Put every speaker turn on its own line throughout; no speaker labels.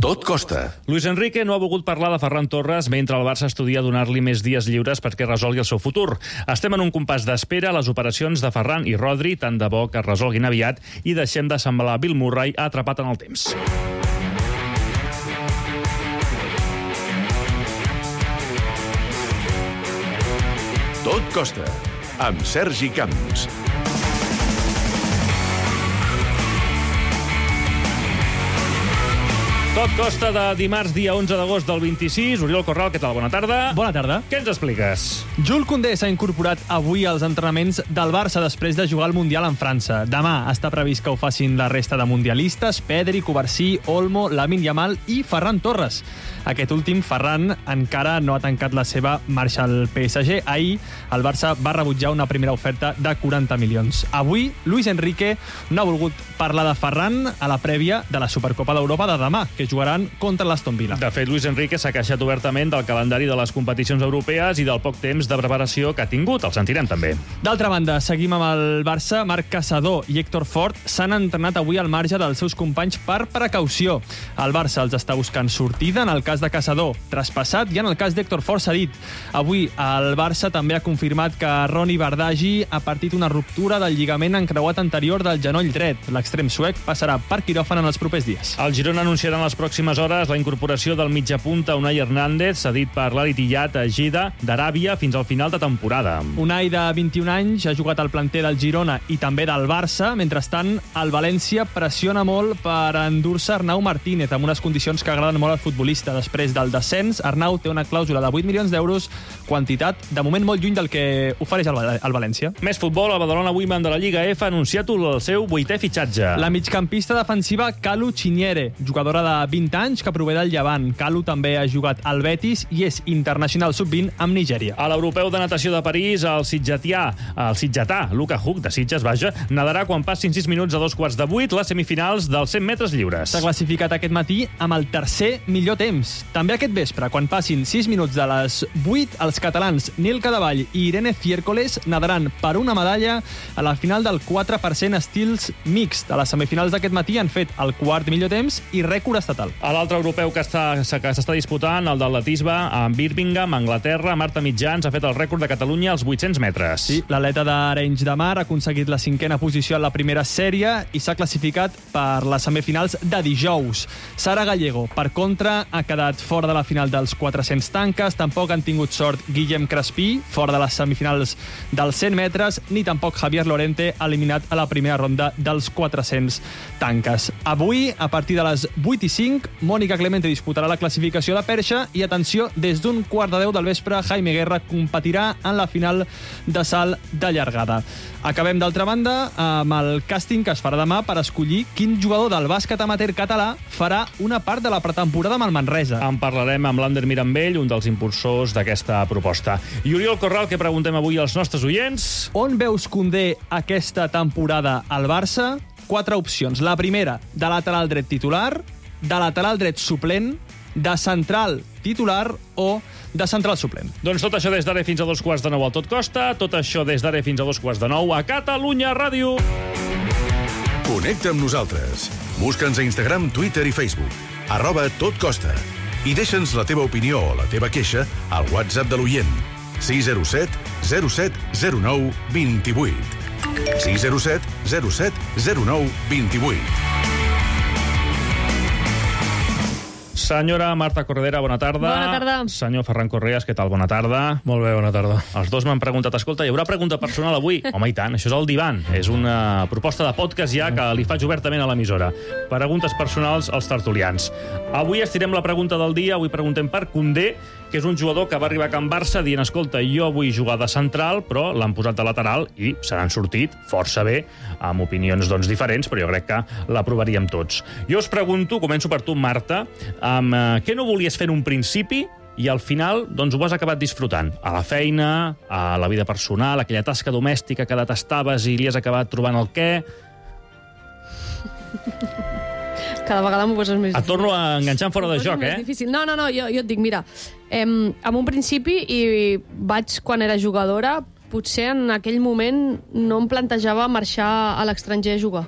Tot costa.
Luis Enrique no ha volgut parlar de Ferran Torres mentre el Barça estudia donar-li més dies lliures perquè resolgui el seu futur. Estem en un compàs d'espera a les operacions de Ferran i Rodri, tant de bo que es resolguin aviat, i deixem de semblar Bill Murray atrapat en el temps.
Tot costa, amb Sergi Camps.
Tot costa de dimarts, dia 11 d'agost del 26. Oriol Corral, què tal? Bona tarda.
Bona tarda.
Què ens expliques?
Jules Koundé s'ha incorporat avui als entrenaments del Barça després de jugar al Mundial en França. Demà està previst que ho facin la resta de mundialistes: Pedri, Covarsí, Olmo, Lamine Yamal i Ferran Torres. Aquest últim, Ferran, encara no ha tancat la seva marxa al PSG. Ahir, el Barça va rebutjar una primera oferta de 40 milions. Avui, Luis Enrique no ha volgut parlar de Ferran a la prèvia de la Supercopa d'Europa de demà, que jugaran contra l'Aston Villa.
De fet, Luis Enrique s'ha queixat obertament del calendari de les competicions europees i del poc temps de preparació que ha tingut. El sentirem també.
D'altra banda, seguim amb el Barça. Marc Caçador i Héctor Fort s'han entrenat avui al marge dels seus companys per precaució. El Barça els està buscant sortida en el cas de Caçador, traspassat, i en el cas d'Héctor Fort cedit. Avui el Barça també ha confirmat que Ronny Bardghji ha partit una ruptura del lligament encreuat anterior del genoll dret. L'extrem suec passarà per quiròfan en els propers dies.
El Girona anunciarà en les pròximes hores la incorporació del mitjapunta Unai Hernández, cedit per l'Al-Ittihad a Jeddah d'Aràbia fins al final de temporada.
Unai, de 21 anys, ha jugat al planter del Girona i també del Barça. Mentrestant, el València pressiona molt per endur-se Arnau Martínez amb unes condicions que agraden molt al futbolista. Després del descens, Arnau té una clàusula de 8 milions d'euros, quantitat de moment molt lluny del que ofereix el València.
Més futbol, el Badalona Women de la Lliga F ha anunciat el seu 8è fitxatge.
La migcampista defensiva Kalu Chinyere, jugadora de 20 anys que prové del Llevant. Kalu també ha jugat al Betis i és internacional sub-20 amb Nigèria.
A l'Europeu de Natació de París, el sitgetà Luka Huck, de Sitges, nadarà quan passin 6 minuts a 7:15 les semifinals dels 100 metres lliures.
S'ha classificat aquest matí amb el tercer millor temps. També aquest vespre, quan passin 6 minuts de les 8, els catalans Nil Cadevall i Irene Fiércoles nadaran per una medalla a la final del 4% estils mixt. A les semifinals d'aquest matí han fet el quart millor temps i rècord estatal.
A l'altre europeu que s'està disputant, el d'atletisme, a Birmingham, Anglaterra, Marta Mitjans ha fet el rècord de Catalunya als 800 metres.
Sí, l'atleta d'Arenys de Mar ha aconseguit la 5a posició en la primera sèrie i s'ha classificat per les semifinals de dijous. Sara Gallego, per contra, ha quedat fora de la final dels 400 tanques. Tampoc han tingut sort Guillem Crespí, fora de les semifinals dels 100 metres, ni tampoc Javier Lorente, eliminat a la primera ronda dels 400 tanques. Avui, a partir de les 8:05, Mònica Clemente disputarà la classificació de perxa i, atenció, des d'un 9:15 del vespre, Jaime Guerra competirà en la final de salt de llargada. Acabem, d'altra banda, amb el càsting que es farà demà per escollir quin jugador del bàsquet amateur català farà una part de la pretemporada amb el Manresa.
En parlarem amb l'Ander Mirambell, un dels impulsors d'aquesta proposta. I Oriol Corral, què preguntem avui als nostres oients?
On veus Koundé aquesta temporada al Barça? 4 opcions. La primera, de lateral dret titular, de lateral dret suplent, de central titular o de central suplent.
Doncs tot això des d'ara fins a 8:45 al Tot Costa, tot això des d'ara fins a 8:45 a Catalunya Ràdio.
Connecta amb nosaltres. Busca'ns a Instagram, Twitter i Facebook. @totcosta. I deixa'ns la teva opinió o la teva queixa al WhatsApp de l'oient. 607 07 09 28. 607 07 09 28.
Senyora Marta Corredera, bona tarda.
Bona tarda.
Senyor Ferran Correas, què tal? Bona tarda.
Molt bé, bona tarda.
Els dos m'han preguntat, escolta, hi haurà pregunta personal avui? Home, i tant, això és el Divan. És una proposta de podcast ja que li faig obertament a l'emissora. Preguntes personals als tertulians. Avui estirem la pregunta del dia. Avui preguntem per Koundé, que és un jugador que va arribar a Can Barça dient, escolta, jo vull jugar de central, però l'han posat de lateral i se n'han sortit força bé, amb opinions doncs diferents, però jo crec que l'aprovaríem tots. Jo us pregunto, començo per tu, Marta, amb què no volies fer en un principi i al final doncs ho has acabat disfrutant? A la feina, a la vida personal, aquella tasca domèstica que detestaves i li has acabat trobant el què?
Cada vegada m'ho poses més difícil.
Et torno a enganxar fora de joc, eh?
Difícil. No, jo et dic, mira, en un principi, i vaig quan era jugadora, potser en aquell moment no em plantejava marxar a l'estranger a jugar.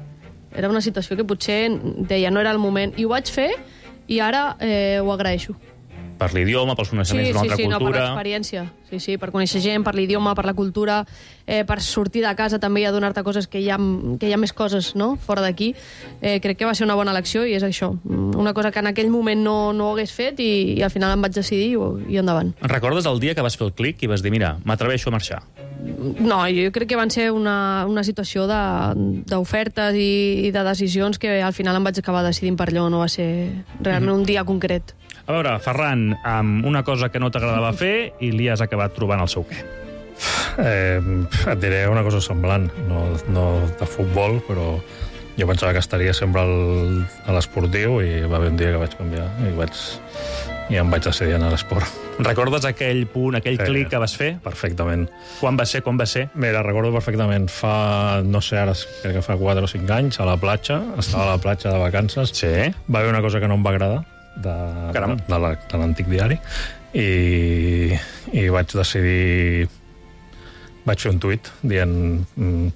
Era una situació que potser deia no era el moment. I ho vaig fer i ara ho agraeixo.
Per l'idioma, pels coneixements d'una altra cultura...
No, per l'experiència. Sí, per conèixer gent, per l'idioma, per la cultura, per sortir de casa també i adonar-te coses que hi ha més coses, no?, fora d'aquí. Crec que va ser una bona elecció i és això. Una cosa que en aquell moment no ho hagués fet i al final em vaig decidir i endavant.
Recordes el dia que vas fer el clic i vas dir, mira, m'atreveixo a marxar?
No, jo crec que van ser una situació d'ofertes i de decisions que al final em vaig acabar decidint per allò, no va ser realment un dia concret.
A veure, Ferran, amb una cosa que no t'agradava fer i li has acabat trobant el seu què.
Et diré una cosa semblant, no de futbol, però jo pensava que estaria sempre a l'esportiu i va haver un dia que vaig canviar i em vaig decidir anar a l'esport.
Recordes aquell punt, aquell clic que vas fer?
Perfectament.
Quan va ser?
Mira, recordo perfectament. No sé, ara crec que fa 4 o 5 anys, a la platja, estava a la platja de vacances.
Sí.
Va haver una cosa que no em va agradar, de l'antic diari, i vaig decidir... Vaig fer un tuit dient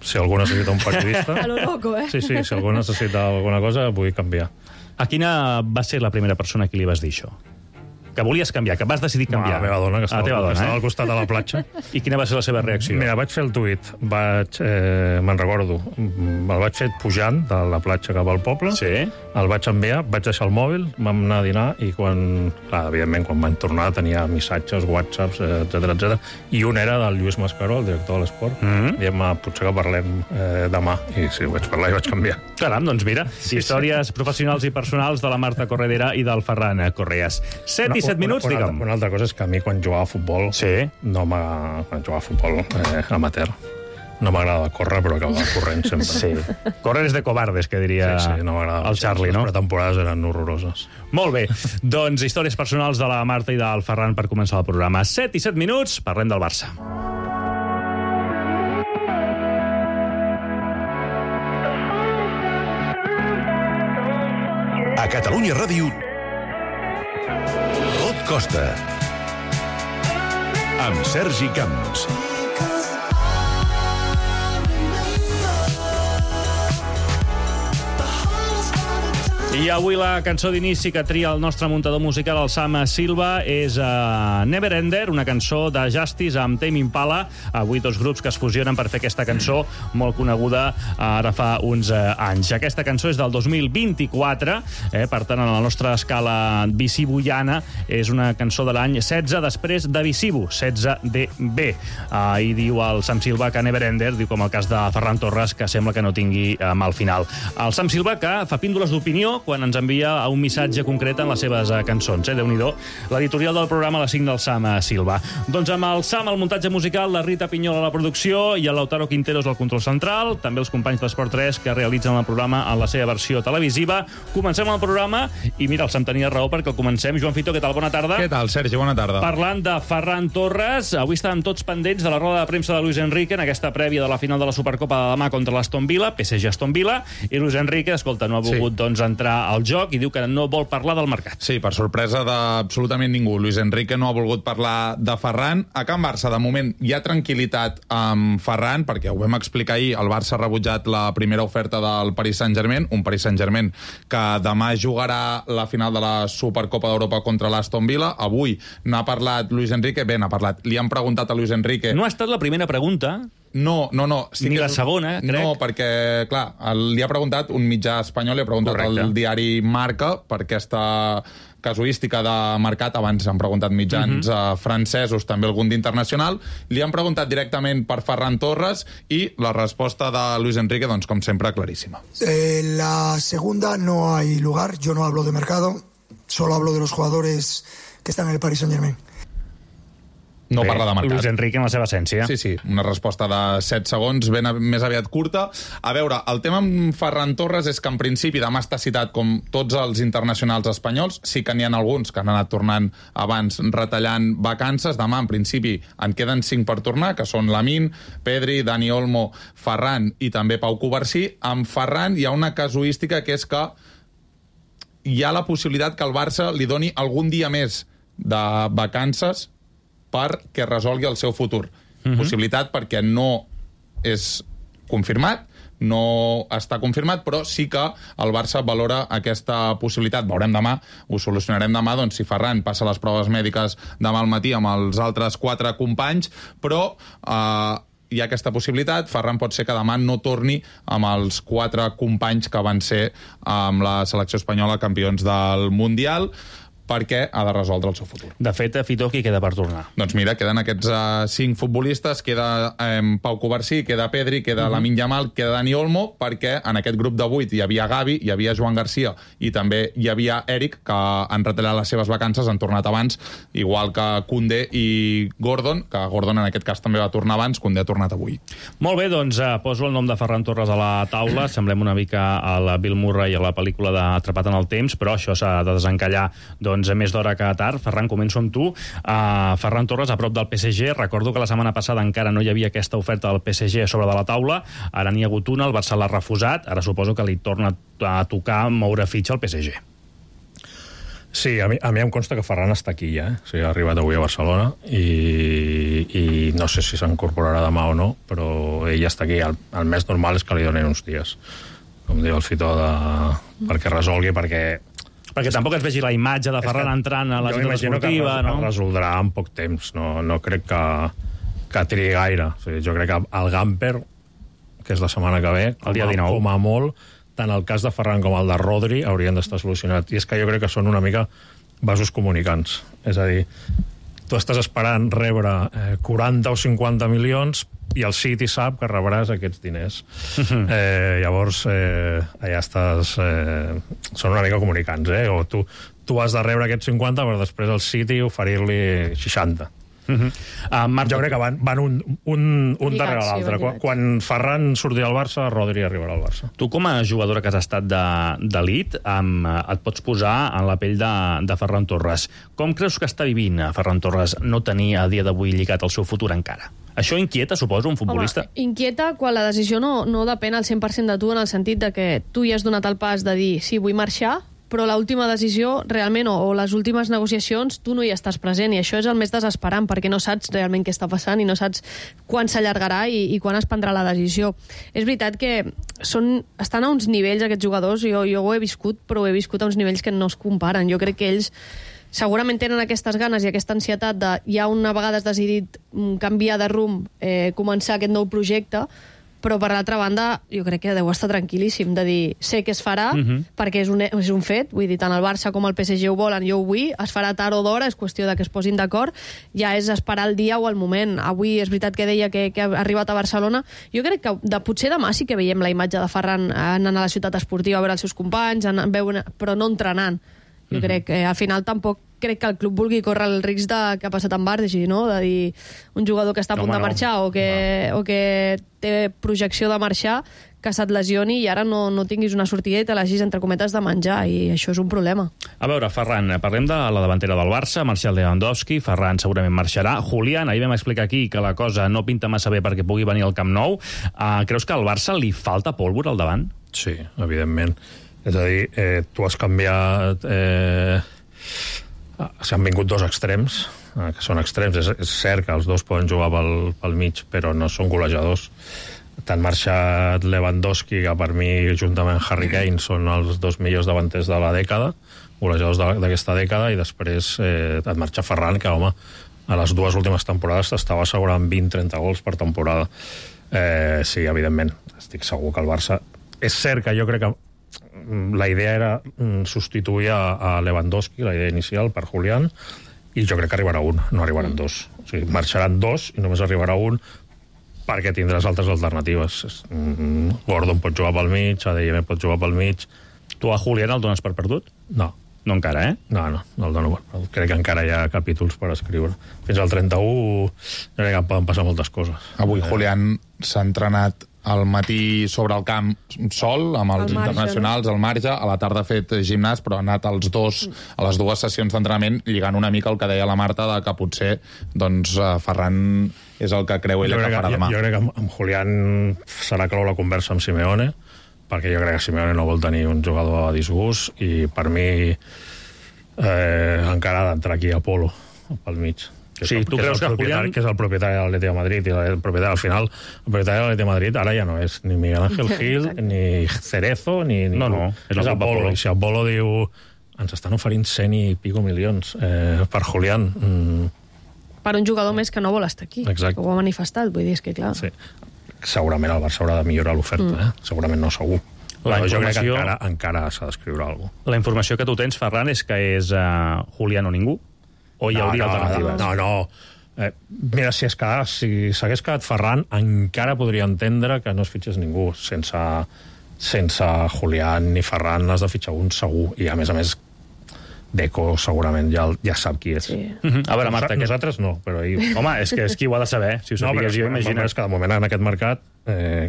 si algú necessita un periodista...
A lo loco,
Sí, si algú necessita alguna cosa, vull canviar.
A quina va ser la primera persona a qui li vas dir això? Que volies canviar, que vas decidir canviar.
A la meva dona, que estava al costat de la platja.
I quina va ser la seva reacció?
Mira, vaig fer el tuit, me'n recordo, el vaig fer pujant de la platja cap al poble,
sí.
El vaig enviar, vaig deixar el mòbil, vam anar a dinar i evidentment, quan vam tornar tenia missatges, whatsapps, etc. I un era del Lluís Mascaró, el director de l'esport, dient, potser que parlem demà. I sí, vaig parlar i vaig canviar.
Caram, doncs mira, històries professionals i personals de la Marta Corredera i del Ferran Correas. 7 i 7 minuts, digue'm.
Una altra cosa és que a mi, quan jugava a futbol, quan jugava a futbol amateur, no m'agrada córrer, però acabava corrent sempre.
Sí. Córrer és de covardes, que diria
no
el Charlie, no?
Les pretemporades eren horroroses.
Molt bé. Doncs històries personals de la Marta i del Ferran per començar el programa. 7 i 7 minuts, parlem del Barça.
A Catalunya Ràdio, Tot Costa, amb Sergi Camps.
I avui la cançó d'inici que tria el nostre muntador musical, el Sam Silva, és Never Ender, una cançó de Justice amb Tame Impala. Avui dos grups que es fusionen per fer aquesta cançó molt coneguda ara fa uns anys. Aquesta cançó és del 2024, per tant, en la nostra escala visibuiana, és una cançó de l'any 16 després de Visibu, 16DB. I diu el Sam Silva que Never Ender, diu com el cas de Ferran Torres, que sembla que no tingui mal final. El Sam Silva que fa píndoles d'opinió quan ens envia un missatge concret en les seves cançons. Déu-n'hi-do. L'editorial del programa la signa el Sam Silva. Doncs amb el Sam, el muntatge musical, la Rita Pinyol a la producció i el Lautaro Quinteros al control central, també els companys d'Esport 3 que realitzen el programa en la seva versió televisiva. Comencem el programa i mira, el Sam tenia raó perquè el comencem. Joan Fito, què tal? Bona tarda.
Què tal, Sergi? Bona tarda.
Parlant de Ferran Torres, avui estàvem tots pendents de la roda de premsa de Luis Enrique en aquesta prèvia de la final de la Supercopa de demà contra l'Aston Villa, PSG-Aston Villa, i Luis Enrique, escolta, no ha volgut doncs entrar al joc i diu que no vol parlar del mercat.
Sí, per sorpresa d'absolutament ningú. Luis Enrique no ha volgut parlar de Ferran. A Can Barça, de moment, hi ha tranquil·litat amb Ferran, perquè ho vam explicar ahir, el Barça ha rebutjat la primera oferta del Paris Saint-Germain, un Paris Saint-Germain que demà jugarà la final de la Supercopa d'Europa contra l'Aston Villa. Avui n'ha parlat Luis Enrique, n'ha parlat. Li han preguntat a Luis Enrique...
No ha estat la primera pregunta...
No. Sí,
ni la segona, crec.
No, perquè, clar, li ha preguntat un mitjà espanyol, li ha preguntat al diari Marca per aquesta casuística de mercat. Abans han preguntat mitjans francesos, també algun d'internacional. Li han preguntat directament per Ferran Torres i la resposta de Luis Enrique, doncs, com sempre, claríssima.
La segunda no hay lugar. Yo no hablo de mercado, solo hablo de los jugadores que están en el Paris Saint-Germain.
No parla de mercat.
Luis Enrique en la seva essència.
Sí, una resposta de 7 segons, més aviat curta. A veure, el tema amb Ferran Torres és que en principi demà està citat com tots els internacionals espanyols, sí que n'hi ha alguns que han anat tornant abans retallant vacances. Demà, en principi, en queden 5 per tornar, que són Lamine, Pedri, Dani Olmo, Ferran i també Pau Covarsí. Amb Ferran hi ha una casuística que és que hi ha la possibilitat que el Barça li doni algun dia més de vacances perquè resolgui el seu futur. Possibilitat perquè no és confirmat, no està confirmat, però sí que el Barça valora aquesta possibilitat. Veurem demà, ho solucionarem demà, doncs si Ferran passa les proves mèdiques demà al matí amb els altres 4 companys, però hi ha aquesta possibilitat. Ferran pot ser que demà no torni amb els 4 companys que van ser amb la selecció espanyola campions del Mundial, perquè ha de resoldre el seu futur.
De fet, Fito, qui queda per tornar?
Doncs mira, queden aquests 5 futbolistes, queda Pau Covarsí, queda Pedri, queda Lamine Yamal, queda Dani Olmo, perquè en aquest grup de 8 hi havia Gavi, hi havia Joan Garcia i també hi havia Eric, que han retallat les seves vacances, han tornat abans, igual que Koundé i Gordon, que Gordon en aquest cas també va tornar abans, Koundé ha tornat avui.
Molt bé, doncs poso el nom de Ferran Torres a la taula, semblem una mica a la Bill Murray a la pel·lícula d'Atrapat en el temps, però això s'ha de desencallar més d'hora que tard. Ferran, començo amb tu. Ferran Torres, a prop del PSG. Recordo que la setmana passada encara no hi havia aquesta oferta del PSG sobre de la taula. Ara n'hi ha hagut una, el Barça l'ha refusat. Ara suposo que li torna a tocar moure fitxa al PSG.
Sí, a mi em consta que Ferran està aquí ja. O sigui, ha arribat avui a Barcelona i no sé si s'incorporarà demà o no, però ell està aquí. El més normal és que li donin uns dies, com diu el Fito, perquè resolgui, perquè tampoc es vegi la imatge de Ferran entrant a la ciutat esportiva, no? Es resoldrà en poc temps, no crec que trigui gaire. O sigui, jo crec que el Gamper, que és la setmana que ve,
el dia 19,
com a molt, tant el cas de Ferran com el de Rodri haurien d'estar solucionats. I és que jo crec que són una mica vasos comunicants. És a dir, tu estàs esperant rebre 40 o 50 milions i el City sap que rebràs aquests diners. Llavors, allà estàs... són una mica comunicants, o tu has de rebre aquests 50 per després al City oferir-li 60.
Marc,
jo crec que van un darrere l'altre. Quan Ferran surti al Barça, Rodri arribarà al Barça.
Tu, com a jugadora que has estat d'elit, et pots posar en la pell de Ferran Torres. Com creus que està vivint Ferran Torres no tenir a dia d'avui lligat el seu futur encara? Això inquieta, suposo, un futbolista?
Home, inquieta quan la decisió no depèn al 100% de tu, en el sentit de que tu ja has donat el pas de dir sí, vull marxar, però l'última decisió realment, o les últimes negociacions, tu no hi estàs present, i això és el més desesperant, perquè no saps realment què està passant i no saps quan s'allargarà i quan es prendrà la decisió. És veritat que estan a uns nivells, aquests jugadors, jo ho he viscut, però ho he viscut a uns nivells que no es comparen. Jo crec que ells segurament tenen aquestes ganes i aquesta ansietat de ja una vegada has decidit canviar de rumb, començar aquest nou projecte, però per l'altra banda jo crec que deu estar tranquil·líssim de dir, sé que es farà, perquè és un fet, vull dir, tant el Barça com el PSG ho volen, jo ho vull, es farà tard o d'hora, és qüestió de que es posin d'acord, ja és esperar el dia o el moment. Avui és veritat que deia que ha arribat a Barcelona. Jo crec que potser demà sí que veiem la imatge de Ferran anant a la ciutat esportiva a veure els seus companys, però no entrenant. Jo crec que al final tampoc crec que el club vulgui córrer el risc que ha passat amb Bardi, no? De dir un jugador que està a punt de marxar o que té projecció de marxar, que se't lesioni i ara no tinguis una sortida i te l'hagis, entre cometes, de menjar, i això és un problema.
A veure, Ferran, parlem de la davantera del Barça, Martial Lewandowski, Ferran segurament marxarà. Julián, ahir vam explicar aquí que la cosa no pinta massa bé perquè pugui venir al Camp Nou. Creus que al Barça li falta pólvora al davant?
Sí, evidentment. És a dir, tu has canviat... s'han vingut dos extrems, que són extrems. És cert que els dos poden jugar pel mig, però no són golejadors. T'han marxat Lewandowski, que per mi, juntament amb Harry Kane, són els dos millors davanters de la dècada, golejadors d'aquesta dècada, i després et marxa Ferran, que, home, a les dues últimes temporades t'estava assegurant 20-30 gols per temporada. Sí, evidentment, estic segur que el Barça... És cert que jo crec que la idea era substituir a Lewandowski, la idea inicial, per Julián, i jo crec que arribarà un, no arribaran dos. O sigui, marxaran dos i només arribarà un, perquè tindràs altres alternatives. Gordon pot jugar pel mig, ADM pot jugar pel mig.
Tu a Julián el dones per perdut?
No.
No encara,
No el dono. Crec que encara hi ha capítols per escriure. Fins al 31 crec que poden passar moltes coses.
Avui Julián s'ha entrenat al matí sobre el camp sol, amb els internacionals, al marge, a la tarda ha fet gimnàs, però ha anat a les dues sessions d'entrenament lligant una mica el que deia la Marta, de que potser Ferran és el que creu ella que farà demà.
Jo crec que amb Julián serà clau la conversa amb Simeone, perquè jo crec que Simeone no vol tenir un jugador a disgust, i per mi encara ha d'entrar aquí Apolo pel mig.
Sí, tu creus que Julián...
Que és el propietari de l'Atlètic de Madrid, i el propietari, al final, el propietari de l'Atlètic de Madrid ara ja no és ni Miguel Ángel Gil, ni Cerezo, ni...
No, és
Apolo. I si Apolo diu, ens estan oferint 100 i pico milions per Julián...
Per un jugador més que no vol estar aquí.
Exacte.
Que ho ha manifestat, vull dir, és que clar...
Sí. Segurament el Barça haurà de millorar l'oferta, Segurament no segur.
La
jo crec
informació...
que encara s'ha d'escriure alguna cosa.
La informació que tu tens, Ferran, és que és Julián o ningú? O hi hauria alternatives?
No. Mira, si s'hagués quedat Ferran, encara podria entendre que no es fitxés ningú. Sense Julián ni Ferran has de fitxar un segur. I, a més, Deco segurament ja sap qui és.
Sí.
A veure, Marta...
Nosaltres no, però...
Home, és que qui ho ha de saber? Si ho sapigués jo, imagina't.
És que de moment en aquest mercat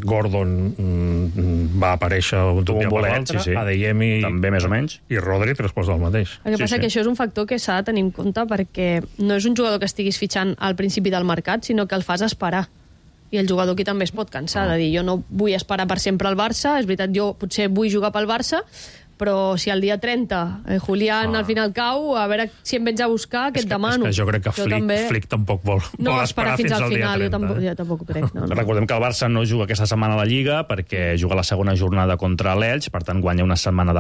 Gordon va aparèixer un dia per l'altre, Adeyemi
també més o menys,
i Rodri 3 quarts del mateix.
El que passa que això és un factor que s'ha de tenir en compte perquè no és un jugador que estiguis fitxant al principi del mercat, sinó que el fas esperar. I el jugador aquí també es pot cansar de dir jo no vull esperar per sempre al Barça, és veritat, jo potser vull jugar pel Barça, però si el dia 30 Julián al final cau, a veure si em vens a buscar, que et demano.
És que jo crec que Flick tampoc vol esperar fins al dia 30.
Jo tampoc ho crec. No.
Recordem que el Barça no juga aquesta setmana a la Lliga perquè juga la segona jornada contra l'Elx, per tant guanya una setmana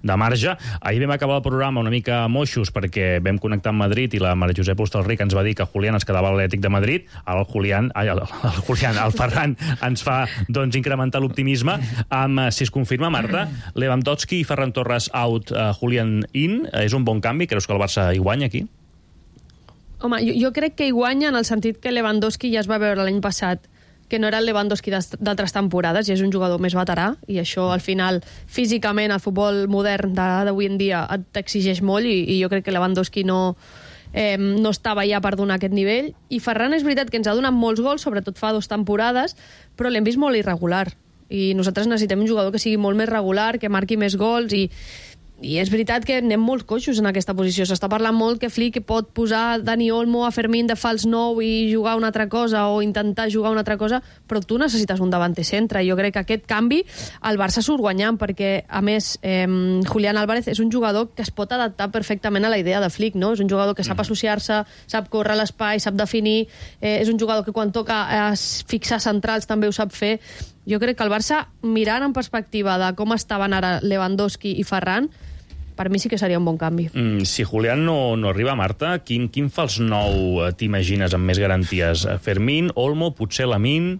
de marge. Ahir vam acabar el programa una mica moixos perquè vam connectar amb Madrid i la Maria Josep Hostalric ens va dir que Julián es quedava a l'Atlètic de Madrid. Ara el Ferran ens fa incrementar l'optimisme amb, si es confirma, Marta, Lewandowski i Ferran Torres out, Julián in, és un bon canvi? Creus que el Barça hi guanya aquí?
Home, jo crec que hi guanya en el sentit que Lewandowski ja es va veure l'any passat que no era el Lewandowski d'altres temporades i és un jugador més veterà i això al final físicament el futbol modern d'avui en dia t'exigeix molt i jo crec que Lewandowski no estava ja per donar aquest nivell i Ferran és veritat que ens ha donat molts gols, sobretot fa 2 temporades, però l'hem vist molt irregular i nosaltres necessitem un jugador que sigui molt més regular, que marqui més gols i és veritat que anem molt coixos en aquesta posició. S'està parlant molt que Flick pot posar Dani Olmo a Fermín de fals 9 i jugar una altra cosa o intentar jugar una altra cosa, però tu necessites un davanter centre. Jo crec que aquest canvi el Barça surt guanyant perquè, a més, Julián Álvarez és un jugador que es pot adaptar perfectament a la idea de Flick, no? És un jugador que sap associar-se, sap córrer l'espai, sap definir, és un jugador que quan toca fixar centrals també ho sap fer. Jo crec que el Barça, mirant en perspectiva de com estaven ara Lewandowski i Ferran, per mi sí que seria un bon canvi.
Si Julián no arriba, Marta, quin fals 9 t'imagines amb més garanties? Fermín, Olmo, potser Lamine?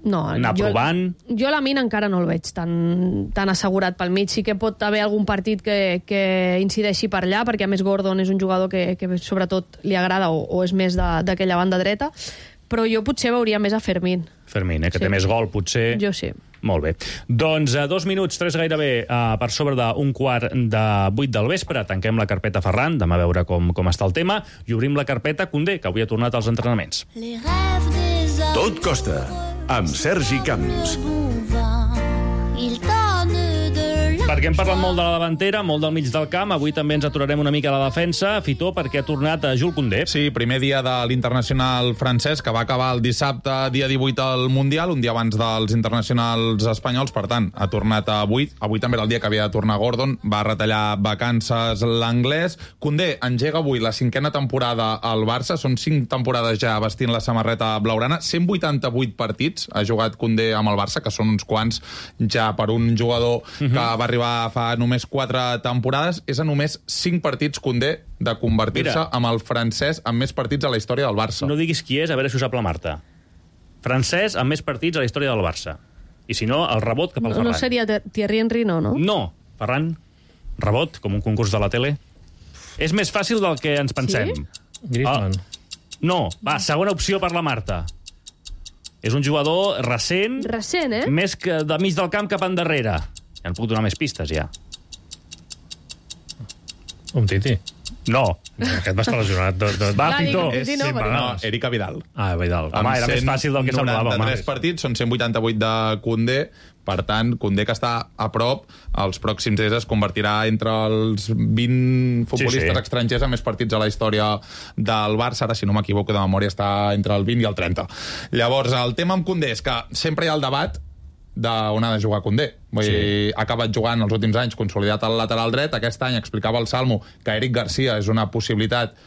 No,
anar provant?
Jo Lamine encara no el veig tan assegurat pel mig. Sí que pot haver algun partit que incideixi per allà, perquè a més Gordon és un jugador que sobretot li agrada o és més d'aquella banda dreta, però jo potser veuria més a Fermín.
Fermín, que té més gol, potser.
Jo sí.
Molt bé. Doncs 2 minuts, 3 gairebé, per sobre d'un 7:45 del vespre. Tanquem la carpeta Ferran, demà a veure com està el tema, i obrim la carpeta Koundé, que avui ha tornat als entrenaments.
Tot costa, amb Sergi Camps.
Perquè hem parlat molt de la davantera, molt del mig del camp, avui també ens aturarem una mica a la defensa, Fitó, perquè ha tornat a Jules Koundé.
Sí, primer dia de l'internacional francès, que va acabar el dissabte, dia 18 al Mundial, un dia abans dels internacionals espanyols, per tant, ha tornat avui. Avui també era el dia que havia de tornar Gordon, va retallar vacances l'anglès. Koundé engega avui la 5a temporada al Barça, són 5 temporades ja vestint la samarreta blaugrana, 188 partits ha jugat Koundé amb el Barça, que són uns quants ja per un jugador que va arribar fa només 4 temporades. És a només 5 partits Koundé de convertir-se amb el francès amb més partits a la història del Barça.
No diguis qui és, a veure si ho sap la Marta. Francès amb més partits a la història del Barça. I si no, el rebot cap al Ferran.
No seria Thierry Henry, no?
No, Ferran, rebot, com un concurs de la tele. És més fàcil del que ens pensem.
Sí?
Griezmann.
No, va, segona opció per la Marta. És un jugador recent.
Recent,
Més que de mig del camp cap endarrere. Ja en puc donar més pistes, ja.
Umtiti.
No.
Aquest va estar lesionat.
Va, Fitó.
No, Erika Vidal.
Vidal.
Home, era més fàcil del que semblava.
93 partits, són 188 de Koundé. Per tant, Koundé, que està a prop, els pròxims dies es convertirà entre els 20 futbolistes estrangers amb més partits a la història del Barça. Ara, si no m'equivoco de memòria, està entre el 20 i el 30. Llavors, el tema amb Koundé és que sempre hi ha el debat d'on ha de jugar Koundé. Vull dir, ha acabat jugant els últims anys consolidat al lateral dret. Aquest any explicava el Salmo que Eric Garcia és una possibilitat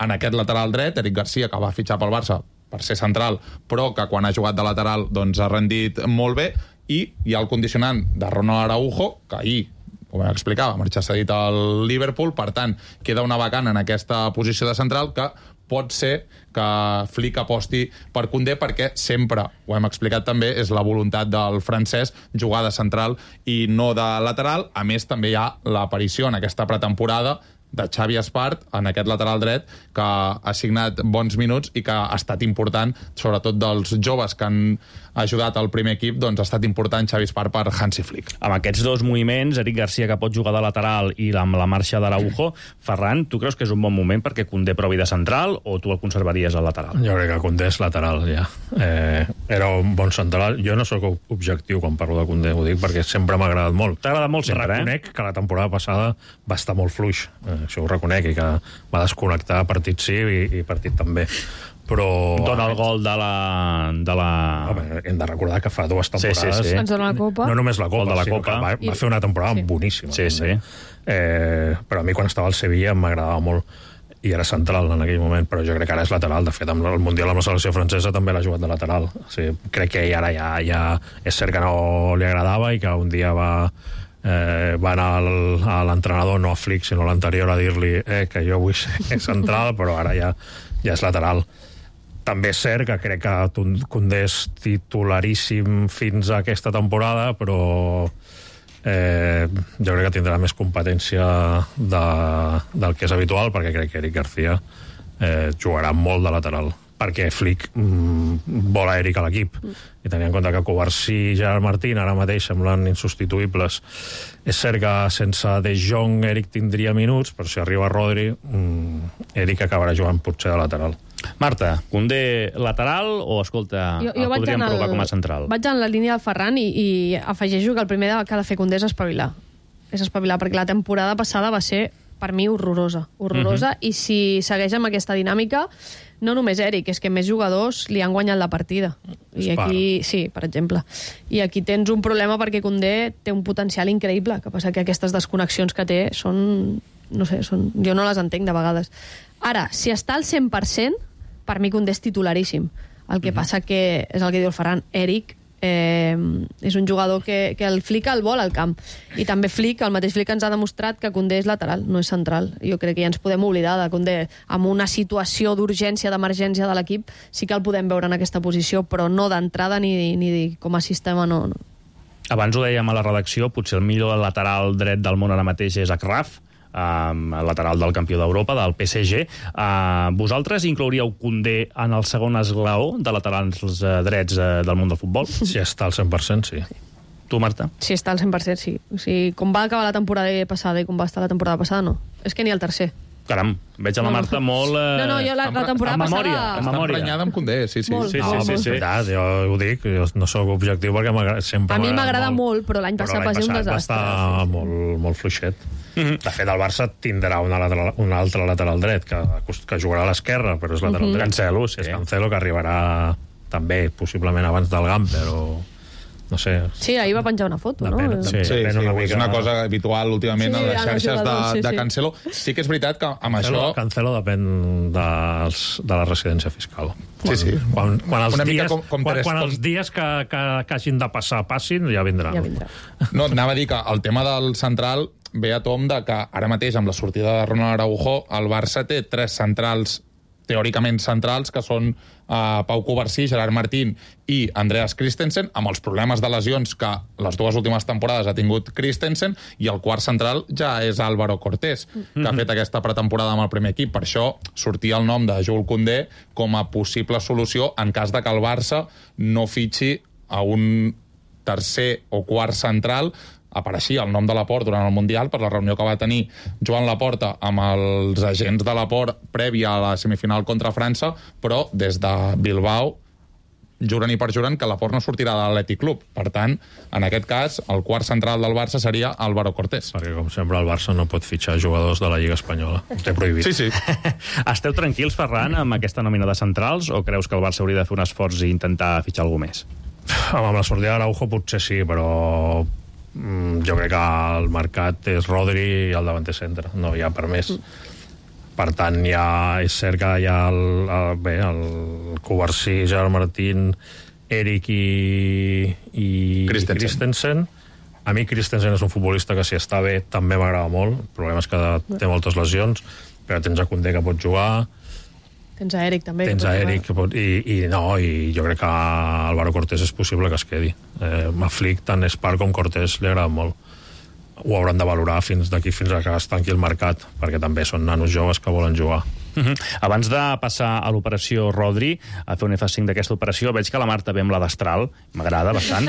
en aquest lateral dret, Eric Garcia, que va fitxar pel Barça per ser central, però que quan ha jugat de lateral doncs ha rendit molt bé, i hi ha el condicionant de Ronald Araujo, que ahir, com vam explicar, va marxar cedit al Liverpool, per tant, queda una vacant en aquesta posició de central que pot ser que Flick aposti per Koundé, perquè sempre, ho hem explicat també, és la voluntat del francès jugar de central i no de lateral. A més, també hi ha l'aparició en aquesta pretemporada de Xavi Espart en aquest lateral dret, que ha signat bons minuts i que ha estat important, sobretot dels joves que han ajudat al primer equip, doncs ha estat important Xavi Espart per Hansi Flick.
Amb aquests dos moviments, Eric Garcia, que pot jugar de lateral, i amb la marxa d'Araujo, Ferran, tu creus que és un bon moment perquè Koundé provi de central, o tu el conservaries al lateral?
Jo crec que Koundé és lateral, ja. Era un bon central. Jo no sóc objectiu quan parlo de Koundé, ho dic perquè sempre m'ha agradat molt.
T'ha agradat molt sempre,
Reconec que la temporada passada va estar molt fluix, això ho reconec, i que va desconnectar partit sí i partit també. Però...
Dona el gol de la...
Home, hem de recordar que fa 2 temporades...
Sí.
Ens dona la Copa.
No només la Copa,
de la
sinó
Copa.
Que va fer una temporada boníssima.
Sí.
Però a mi quan estava al Sevilla m'agradava molt, i era central en aquell moment, però jo crec que ara és lateral. De fet, amb el Mundial amb la selecció francesa també l'ha jugat de lateral. O sigui, crec que ara ja és cert que no li agradava i que un dia va anar a l'entrenador, no a Flick, sinó a l'anterior, a dir-li que jo vull ser central, però ara ja és lateral. També és cert que crec que Koundé és titularíssim fins a aquesta temporada, però jo crec que tindrà més competència del que és habitual, perquè crec que Eric Garcia jugarà molt de lateral, perquè Flick vol a Eric a l'equip, i tenint en compte que Covarsí i Gerard Martín ara mateix semblen insubstituïbles. És cert que sense De Jong Eric tindria minuts, però si arriba Rodri, Eric acabarà jugant potser de lateral.
Marta, Koundé lateral o, escolta, el podríem provar com a central?
Vaig en la línia del Ferran i afegeixo que el primer que ha de fer Koundé és espavilar. És espavilar, perquè la temporada passada va ser, per mi, horrorosa. I si segueix amb aquesta dinàmica, no només Eric, és que més jugadors li han guanyat la partida. I aquí, sí, per exemple. I aquí tens un problema perquè Koundé té un potencial increïble, que passa que aquestes desconnexions que té són... No sé, jo no les entenc de vegades. Ara, si està al 100%, per mi Koundé és titularíssim. El que passa que, és el que diu el Ferran, Eric és un jugador que el Flick el vol al camp. I també el mateix Flick ens ha demostrat que Koundé és lateral, no és central. Jo crec que ja ens podem oblidar de Koundé. Amb una situació d'urgència, d'emergència de l'equip, sí que el podem veure en aquesta posició, però no d'entrada ni com a sistema, no.
Abans ho dèiem a la redacció, potser el millor lateral dret del món ara mateix és Achraf, lateral del campió d'Europa, del PSG. Vosaltres inclouríeu Koundé en el segon esglaó de laterals drets del món del futbol?
Si està al 100%, sí.
Tu, Marta?
Si està al 100%, sí. O sigui, com va acabar la temporada passada i com va estar la temporada passada, no. És que ni el tercer.
Caram, veig a la Marta molt...
No, jo la temporada passada...
Està emprenyada amb Koundé, sí.
Molt.
Sí.
Veritat, jo ho dic, jo no sóc objectiu perquè sempre...
A mi m'agrada molt, però l'any passat va ser un desastre.
Va estar molt fluixet. De fet, el Barça tindrà un altre lateral dret que jugarà a l'esquerra, però és lateral dret.
Cancelo, sí.
És Cancelo, que arribarà també, possiblement abans del Gamp, però... No sé.
Sí, ahir va penjar una foto, no?
Sí, és una cosa habitual últimament a les xarxes de Cancelo. Sí que és veritat que amb això...
Cancelo depèn de la residència fiscal.
Sí.
Quan els dies que hagin de passar passin, ja vindrà.
No, anava a dir que el tema del central ve a tom de que ara mateix, amb la sortida de Ronald Araujo, el Barça té 3 centrals teòricament centrals, que són Pau Covarsí, Gerard Martín i Andreas Christensen, amb els problemes de lesions que les 2 últimes temporades ha tingut Christensen, i el quart central ja és Álvaro Cortés, que ha fet aquesta pretemporada amb el primer equip. Per això sortia el nom de Jules Koundé com a possible solució en cas de que el Barça no fitxi a un tercer o quart central. Apareixia el nom de Laporte durant el Mundial per la reunió que va tenir Joan Laporta amb els agents de Laporte prèvia a la semifinal contra França, però des de Bilbao juren i perjuren que Laporte no sortirà de l'Atlètic Club. Per tant, en aquest cas, el quart central del Barça seria Álvaro Cortés.
Perquè, com sempre, el Barça no pot fitxar jugadors de la Lliga Espanyola. Ho té prohibit.
Sí.
Esteu tranquils, Ferran, amb aquesta nòmina de centrals, o creus que el Barça hauria de fer un esforç i intentar fitxar algú més?
Amb la sortida d'Araujo potser sí, però jo crec que el mercat és Rodri i el davanter centre. No hi ha per més. Per tant, és cert que hi ha el Covarsí, Gerard Martín, Eric i Christensen. A mi Christensen és un futbolista que si està bé també m'agrada molt. El problema és que té moltes lesions, però tens a Koundé que pot jugar.
Tens a Eric també.
Tens a Eric que pot... I jo crec que a Álvaro Cortés és possible que es quedi. A Flick, tant Spark com Cortés li agrada molt. Ho hauran de valorar d'aquí fins a que es tanqui el mercat, perquè també són nanos joves que volen jugar.
Abans de passar a l'operació Rodri, a fer un F5 d'aquesta operació, veig que la Marta ve amb la d'Astral, m'agrada bastant,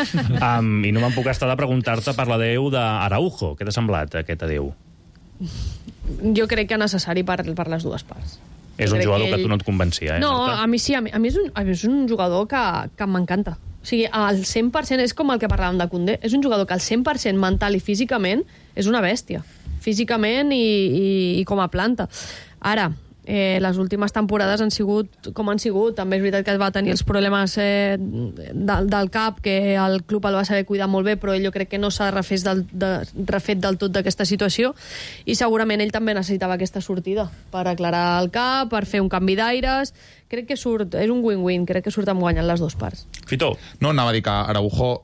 i no me'n puc estar de preguntar-te per l'adeu d'Araujo. Què t'ha semblat, aquest adeu?
Jo crec que és necessari per les dues parts.
És un jugador que tu no et convencia,
No,
Marta?
a mi sí, a mi és un jugador que m'encanta. O sigui, al 100% és com el que parlàvem de Koundé. És un jugador que al 100% mental i físicament és una bèstia. Físicament i com a planta. Ara, les últimes temporades han sigut com han sigut. També és veritat que va tenir els problemes del cap, que el club el va saber cuidar molt bé, però ell jo crec que no s'ha refet del tot d'aquesta situació, i segurament ell també necessitava aquesta sortida per aclarar el cap, per fer un canvi d'aires. Crec que és un win-win, crec que surten guanyant les dues parts.
Fito.
No, anava a dir que Araujo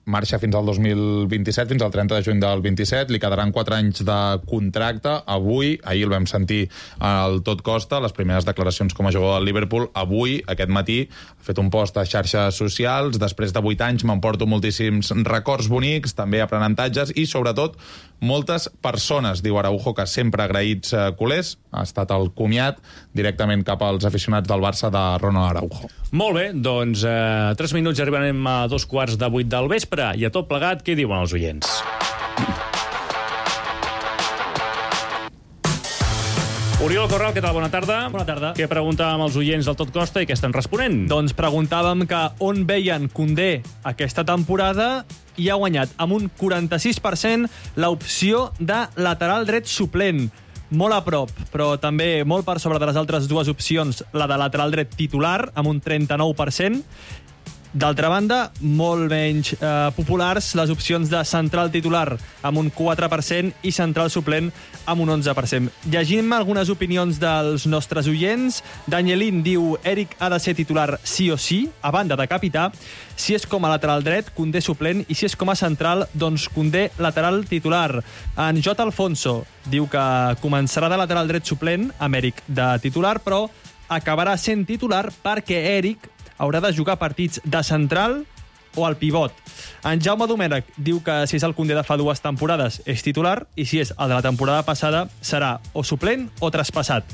marxa fins al 2027, fins al 30 de juny del 27, li quedaran 4 anys de contracte. Ahir el vam sentir al Tot Costa, les primeres declaracions com a jugador del Liverpool. Avui, aquest matí, ha fet un post a xarxes socials. Després de 8 anys m'emporto moltíssims records bonics, també aprenentatges i, sobretot, moltes persones, diu Araujo, que sempre agraïts culers. Ha estat el comiat directament cap als aficionats del Barça de Ronald Araujo.
Molt bé, doncs 3 minuts i arribarem a 7:45 del vespre, i a tot plegat, què diuen els oients? Oriol Corral, què tal? Bona tarda.
Bona tarda.
Què preguntàvem als oients del Tot Costa i què estan responent?
Doncs preguntàvem que on veien Koundé aquesta temporada i ha guanyat amb un 46% l'opció de lateral dret suplent. Molt a prop, però també molt per sobre de les altres dues opcions, la de lateral dret titular, amb un 39%. D'altra banda, molt menys populars les opcions de central titular amb un 4% i central suplent amb un 11%. Llegim algunes opinions dels nostres oients. Danielín diu: Eric ha de ser titular sí o sí, a banda de capità. Si és com a lateral dret, Koundé suplent, i si és com a central, doncs Koundé lateral titular. En J. Alfonso diu que començarà de lateral dret suplent amb Eric de titular, però acabarà sent titular perquè Eric haurà de jugar partits de central o al pivot. En Jaume Domènech diu que si és el Koundé de fa 2 temporades és titular, i si és el de la temporada passada serà o suplent o traspassat.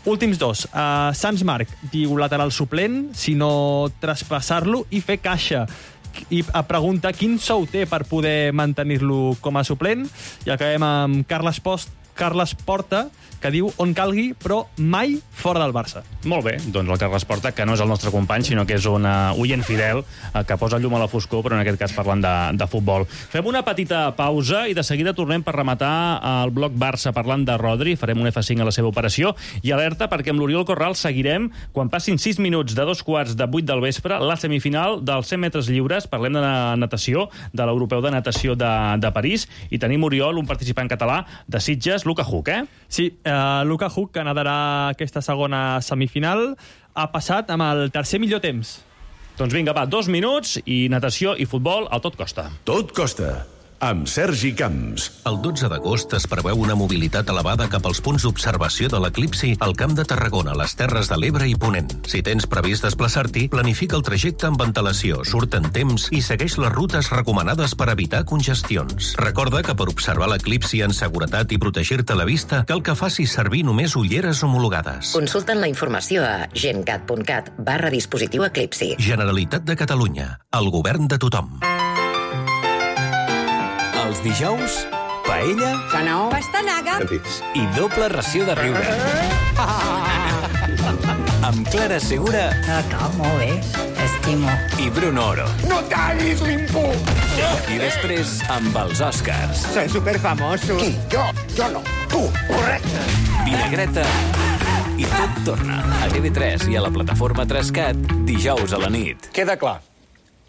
Últims dos. Sans Marc diu lateral suplent, si no traspassar-lo i fer caixa. I pregunta quin sou té per poder mantenir-lo com a suplent. I acabem amb Carles Porta, que diu on calgui, però mai fora del Barça.
Molt bé, doncs el Carles Porta, que no és el nostre company, sinó que és un oient fidel que posa llum a la foscor, però en aquest cas parlant de futbol. Fem una petita pausa i de seguida tornem per rematar el bloc Barça parlant de Rodri. Farem un F5 a la seva operació i alerta perquè amb l'Oriol Corral seguirem quan passin 6 minuts de 7:45 del vespre la semifinal dels 100 metres lliures. Parlem de natació, de l'Europeu de Natació de París, i tenim, Oriol, un participant català de Sitges, Luka Huk,
Sí, Luka Huk, que nadarà aquesta segona semifinal, ha passat amb el tercer millor temps.
Doncs vinga, va, 2 minuts i natació i futbol al Tot Costa.
Tot Costa, amb Sergi Camps.
El 12 d'agost es preveu una mobilitat elevada cap als punts d'observació de l'eclipsi al Camp de Tarragona, les Terres de l'Ebre i Ponent. Si tens previst desplaçar-t'hi, planifica el trajecte amb antelació, surt en temps i segueix les rutes recomanades per evitar congestions. Recorda que per observar l'eclipsi en seguretat i protegir-te la vista, cal que facis servir només ulleres homologades.
Consulten la informació a gencat.cat/dispositiu eclipsi.
Generalitat de Catalunya, el govern de tothom.
Els dijous, paella,
pastanaga
i doble ració de riure. Amb Clara Segura
molt bé, t'estimo.
i Bruno Oro.
No tallis l'impuls!
I després amb els Oscars.
Soy superfamoso. Qui? Jo no. Tu, correcte.
Vinagreta i tot torna a TV3 i a la plataforma 3CAT dijous a la nit.
Queda clar.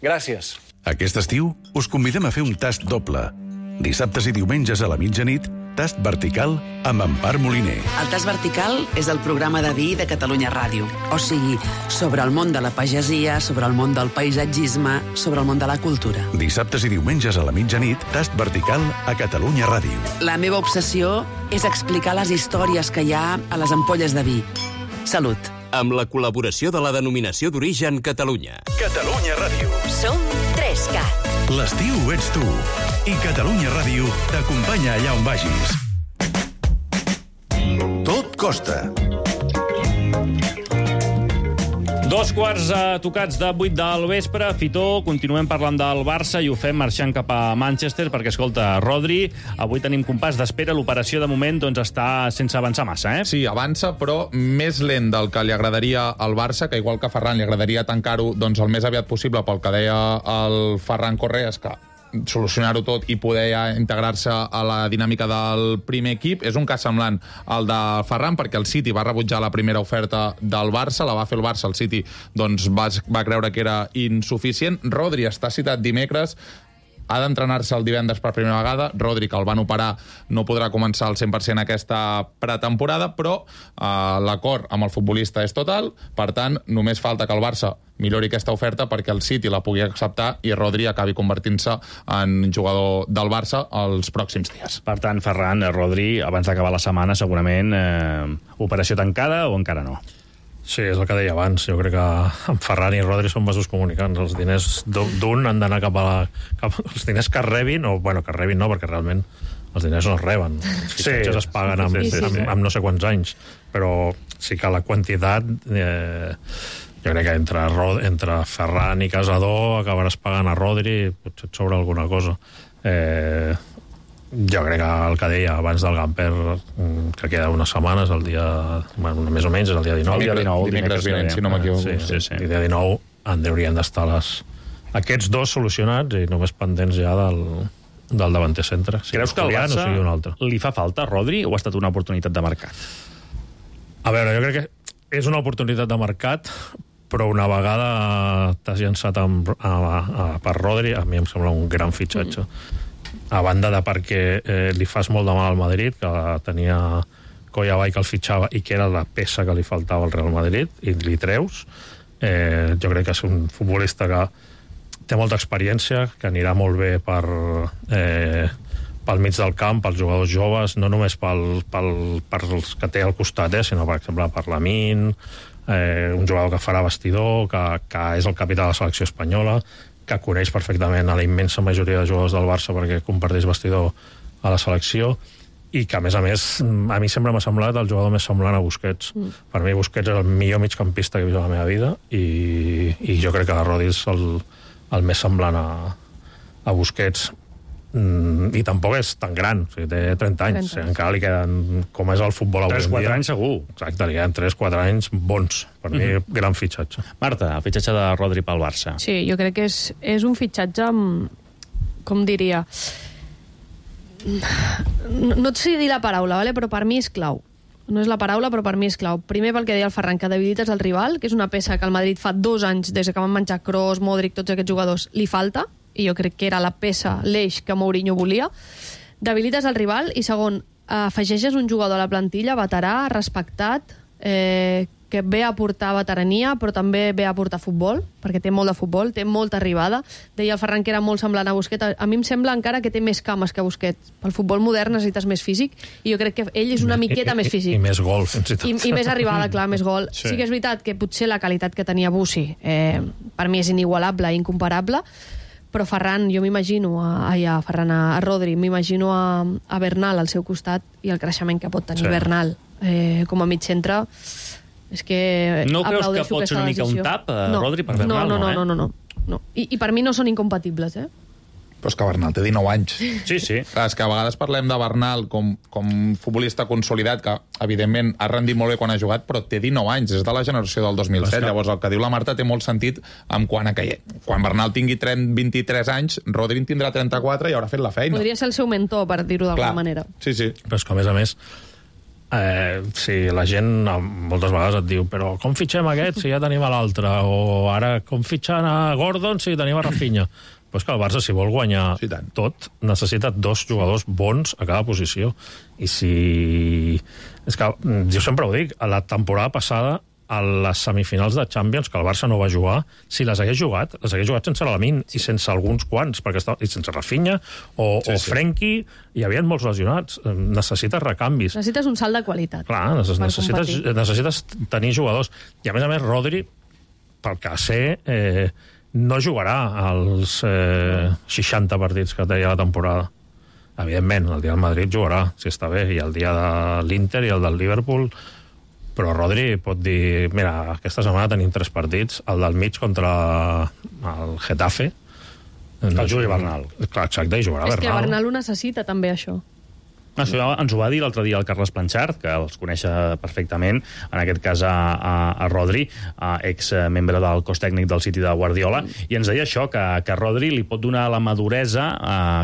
Gràcies.
Aquest estiu us convidem a fer un tast doble. Dissabtes i diumenges a la mitjanit Tast Vertical amb Empar Moliner.
El Tast Vertical és el programa de vi de Catalunya Ràdio. O sigui, sobre el món de la pagesia, sobre el món del paisatgisme, sobre el món de la cultura.
Dissabtes i diumenges a la mitjanit, Tast Vertical a Catalunya Ràdio.
La meva obsessió és explicar les històries que hi ha a les ampolles de vi. Salut.
Amb la col·laboració de la Denominació d'Origen Catalunya.
Catalunya Ràdio.
Som 3CAT.
L'estiu ets tu. I Catalunya Ràdio t'acompanya allà on vagis. Tot costa.
2 tocats de 8 del vespre. Fitó, continuem parlant del Barça i ho fem marxant cap a Manchester perquè, escolta, Rodri, avui tenim compàs d'espera. L'operació, de moment, doncs, està sense avançar massa, eh?
Sí, avança, però més lent del que li agradaria al Barça, que igual que a Ferran li agradaria tancar-ho doncs, el més aviat possible, pel que deia el Ferran Correas, que solucionar-ho tot i poder ja integrar-se a la dinàmica del primer equip. És un cas semblant al de Ferran, perquè el City va rebutjar la primera oferta del Barça, la va fer el Barça, el City doncs, va creure que era insuficient. Rodri està citat dimecres, ha d'entrenar-se el divendres per primera vegada. Rodri, que el van operar, no podrà començar al 100% aquesta pretemporada, però l'acord amb el futbolista és total. Per tant, només falta que el Barça millori aquesta oferta perquè el City la pugui acceptar i Rodri acabi convertint-se en jugador del Barça els pròxims dies.
Per tant, Ferran, Rodri, abans d'acabar la setmana, segurament, operació tancada o encara no?
Sí, és el que deia abans. Jo crec que en Ferran i Rodri són vasos comunicants. Els diners d'un han d'anar cap a els diners que rebin, o, bueno, que rebin no, perquè realment els diners no es reben. Els fitxatges es paguen amb no sé quants anys. Però sí que la quantitat... jo crec que entre Ferran i Casador acabaràs pagant a Rodri, potser et sobra alguna cosa. Jo crec que el que deia abans del Gamper, que queda unes setmanes, el dia... Bueno, més o menys, és el dia 19.
Dimecres vinent, si no m'equivoco.
Sí. El dia 19 en haurien d'estar aquests dos solucionats i només pendents ja del davanter centre.
Creus que al Barça li fa falta a Rodri o ha estat una oportunitat de mercat?
A veure, jo crec que és una oportunitat de mercat, però una vegada t'has llançat per Rodri, a mi em sembla un gran fitxatge. A banda de perquè li fas molt de mal al Madrid, que tenia Collabay que el fitxava i que era la peça que li faltava al Real Madrid, i li treus. Jo crec que és un futbolista que té molta experiència, que anirà molt bé pel mig del camp, pels jugadors joves, no només pels que té al costat, sinó, per exemple, per Lamine, un jugador que farà vestidor, que és el capità de la selecció espanyola, que coneix perfectament a la immensa majoria de jugadors del Barça perquè comparteix vestidor a la selecció, i que, a més, a mi sempre m'ha semblat el jugador més semblant a Busquets. Per mi, Busquets és el millor migcampista que he vist a la meva vida, i jo crec que Rodri és el més semblant a Busquets. I tampoc és tan gran, o sigui, té 30 anys, encara li queden, com és el futbol avui en dia.
3-4 anys segur.
Exacte, li queden 3-4 anys bons. Per mi, gran fitxatge.
Marta, el fitxatge de Rodri pel Barça.
Sí, jo crec que és un fitxatge com diria... No et sé dir la paraula, ¿vale? Però per mi és clau. No és la paraula, però per mi és clau. Primer pel que deia el Ferran, que debilites el rival, que és una peça que el Madrid fa 2 anys, des que van menjar Kroos, Modric, tots aquests jugadors, li falta, i jo crec que era la peça, l'eix que Mourinho volia. Debilites el rival, i segon, afegeixes un jugador a la plantilla veterà, respectat, que ve a aportar veterania, però també ve a aportar futbol, perquè té molt de futbol, té molta arribada. Deia el Ferran que era molt semblant a Busquets. A mi em sembla encara que té més cames que Busquets. Pel futbol modern necessites més físic, i jo crec que ell és una miqueta més físic.
I més gol, fins i tot.
I més arribada, clar, més gol. Sí que és veritat que potser la qualitat que tenia Bussi per mi és inigualable, incomparable, però Ferran, jo m'imagino a Rodri, m'imagino a Bernal al seu costat, i el creixement que pot tenir Bernal com a mig centre, és que
no creus que pot ser una mica un tap, Rodri, per Bernal?
No. I per mi no són incompatibles,
Però és que Bernal té 19 anys.
Sí.
Clar, és que a vegades parlem de Bernal com futbolista consolidat, que evidentment ha rendit molt bé quan ha jugat, però té 19 anys, és de la generació del 2007. Llavors el que diu la Marta té molt sentit en quant a que quan Bernal tingui 23 anys, Rodri en tindrà 34 i haurà fet la feina.
Podria ser el seu mentor, per dir-ho d'alguna manera.
Sí.
Però és que, a més, si la gent moltes vegades et diu però com fitxem aquest si ja tenim a l'altre, o ara com fitxant a Gordon si tenim a Rafinha, Però és que el Barça, si vol guanyar tot, necessita 2 jugadors bons a cada posició. I si... És que jo sempre ho dic, a la temporada passada, a les semifinals de Champions, que el Barça no va jugar, si les hagués jugat sense l'Alamin i sense alguns quants, i sense Rafinha o Frenkie, hi havia molts lesionats. Necessites recanvis.
Necessites un salt de qualitat.
Clar, necessites tenir jugadors. I a més, Rodri, pel que sé, no jugarà als 60 partits que té la temporada. Evidentment, el dia del Madrid jugarà, si està bé, i el dia de l'Inter i el del Liverpool, però Rodri pot dir, mira, aquesta setmana tenim 3 partits, el del mig contra el Getafe.
El jugui Bernal.
Clar, exacte, i jugarà Bernal.
És que Bernal ho necessita també, això.
Això ens ho va dir l'altre dia el Carles Planchart, que els coneix perfectament, en aquest cas a Rodri, ex-membre del cos tècnic del City de Guardiola, i ens deia això, que Rodri li pot donar la maduresa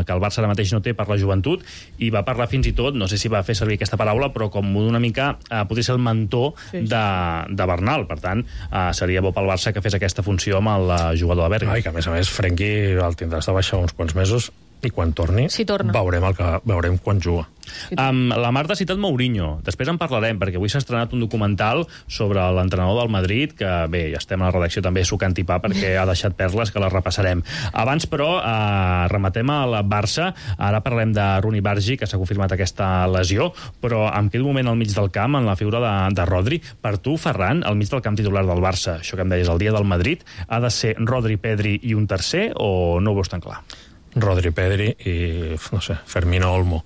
que el Barça ara mateix no té per la joventut, i va parlar fins i tot, no sé si va fer servir aquesta paraula, però com una mica podria ser el mentor de Bernal. Per tant, seria bo pel Barça que fes aquesta funció amb el jugador de Berga.
I que, a més, Frenkie el tindrà de baixar uns quants mesos, i quan torni, veurem quan juga.
La Marta ha citat Mourinho. Després en parlarem, perquè avui s'ha estrenat un documental sobre l'entrenador del Madrid, que bé, ja estem a la redacció també sucant i pa, perquè ha deixat perles que les repassarem. Abans, però, rematem al Barça. Ara parlem de Rooney Bargi, que s'ha confirmat aquesta lesió, però em quedo un moment al mig del camp, en la figura de Rodri. Per tu, Ferran, al mig del camp titular del Barça, això que em deies, el dia del Madrid, ha de ser Rodri, Pedri i un tercer, o no ho veus tan clar?
Rodri, Pedri i, no sé, Fermín o Olmo.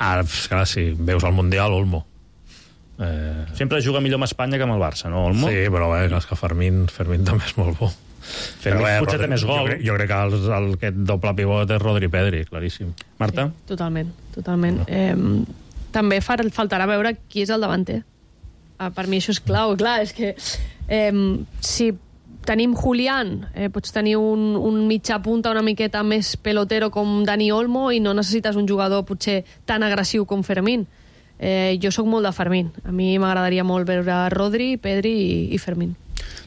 Ara, clar, si veus el Mundial, Olmo.
Sempre juga millor amb Espanya que amb el Barça, no, Olmo?
Sí, però bé, que Fermín també és molt bo.
Potser té més gol.
Jo crec que aquest doble pivot és Rodri, Pedri, claríssim.
Marta?
Sí, totalment. També faltarà veure qui és el davanter. Per mi això és clau. Clar, és que si tenim Julián, pots tenir un mitjà punta una miqueta més pelotero com Dani Olmo i no necessites un jugador potser tan agressiu com Fermín. Jo sóc molt de Fermín. A mi m'agradaria molt veure Rodri, Pedri i Fermín.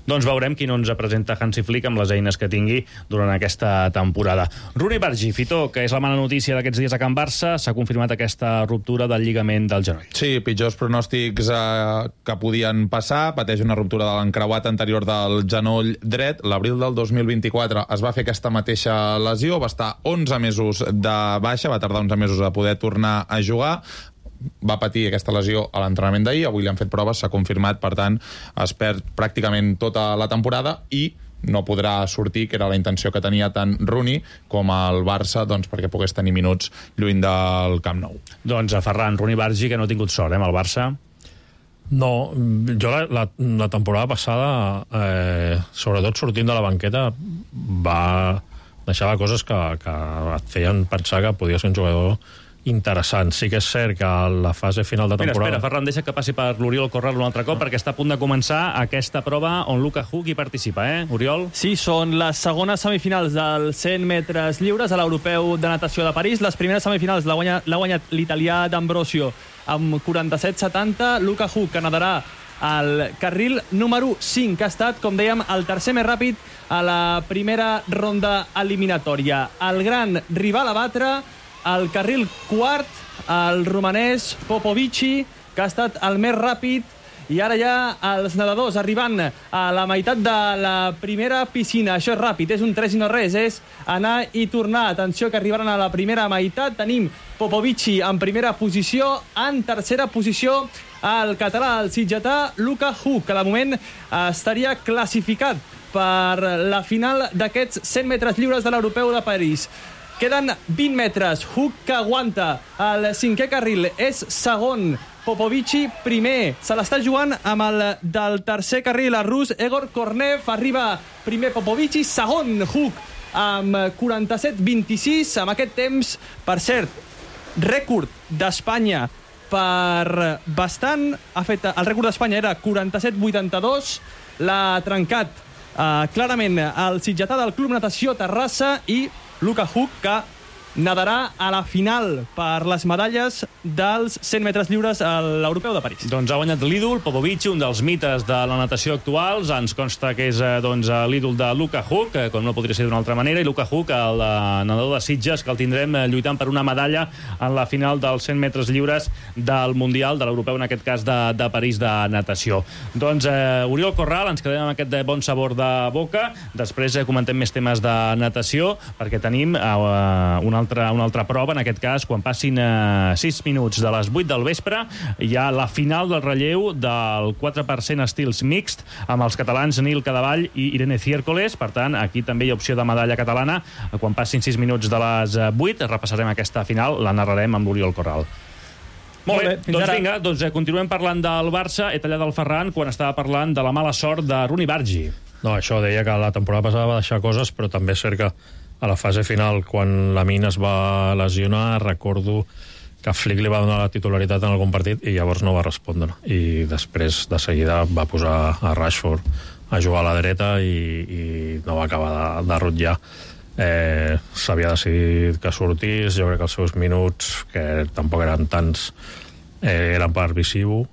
Doncs veurem qui no ens presenta Hansi Flick amb les eines que tingui durant aquesta temporada. Rooney Bargi, Fitó, que és la mala notícia d'aquests dies a Can Barça, s'ha confirmat aquesta ruptura del lligament del genoll.
Sí, pitjors pronòstics que podien passar. Pateix una ruptura de l'encreuat anterior del genoll dret. L'abril del 2024 es va fer aquesta mateixa lesió, va estar 11 mesos de baixa, va tardar 11 mesos a poder tornar a jugar. Va patir aquesta lesió a l'entrenament d'ahir, avui li han fet proves, s'ha confirmat, per tant es perd pràcticament tota la temporada i no podrà sortir, que era la intenció que tenia tant Rooney com el Barça, doncs, perquè pogués tenir minuts lluny del Camp Nou.
Doncs a Ferran, Rooney Bargi, que no ha tingut sort, amb el Barça.
No, jo la temporada passada, sobretot sortint de la banqueta, deixava coses que et feien pensar que podia ser un jugador interessant. Sí que és cert que a la fase final de temporada...
Espera, Ferran, deixa que passi per l'Oriol Corral un altre cop, perquè està a punt de començar aquesta prova on Luka Hug hi participa, Oriol?
Sí, són les segones semifinals dels 100 metres lliures a l'Europeu de Natació de París. Les primeres semifinals l'ha guanyat l'italià d'Ambrosio amb 47-70. Luka Hug, que nadarà al carril número 5, que ha estat, com dèiem, el tercer més ràpid a la primera ronda eliminatòria. El gran rival a batre, al carril quart, el romanès Popovici, que ha estat el més ràpid, i ara ja els nedadors arribant a la meitat de la primera piscina. Això és ràpid, és un 3 i no res, és anar i tornar. Atenció, que arribaran a la primera meitat. Tenim Popovici en primera posició, en tercera posició el català, el sitgetà Luka Hug, que de moment estaria classificat per la final d'aquests 100 metres lliures de l'Europeu de París. Queden 20 metres. Hug, que aguanta el cinquè carril, és segon. Popovici, primer. Se l'està jugant amb el del tercer carril. El rus Egor Kornev arriba primer. Popovici, segon. Hug, amb 47-26. Amb aquest temps, per cert, rècord d'Espanya per bastant. El rècord d'Espanya era 47-82. L'ha trencat clarament el sitgetà del Club Natació Terrassa i Luka Hug, que nedarà a la final per les medalles dels 100 metres lliures a l'Europeu de París.
Doncs ha guanyat l'ídol, Popovici, un dels mites de la natació actuals. Ens consta que és l'ídol de Luka Huk, com no podria ser d'una altra manera, i Luka Huk, el nedador de Sitges, que el tindrem lluitant per una medalla en la final dels 100 metres lliures del Mundial, de l'Europeu, en aquest cas de París de natació. Doncs Oriol Corral, ens quedem amb aquest bon sabor de boca. Després comentem més temes de natació, perquè tenim una altra prova, en aquest cas, quan passin 6 minuts de les 8 del vespre, hi ha la final del relleu del 4% estils mixt, amb els catalans Nil Cadavall i Irene Ciércoles. Per tant, aquí també hi ha opció de medalla catalana. Quan passin 6 minuts de les 8, repassarem aquesta final, la narrarem amb l'Oriol Corral. Molt bé, doncs vinga, continuem parlant del Barça. He tallat el Ferran quan estava parlant de la mala sort de Rooney Bargi.
No, això deia que la temporada passada va deixar coses, però també és cert que a la fase final, quan Lamine es va lesionar, recordo que Flick li va donar la titularitat en algun partit i llavors no va respondre. I després, de seguida, va posar a Rashford a jugar a la dreta i no va acabar de rotllar. S'havia decidit que sortís. Jo crec que els seus minuts, que tampoc eren tants, eren per Visiu,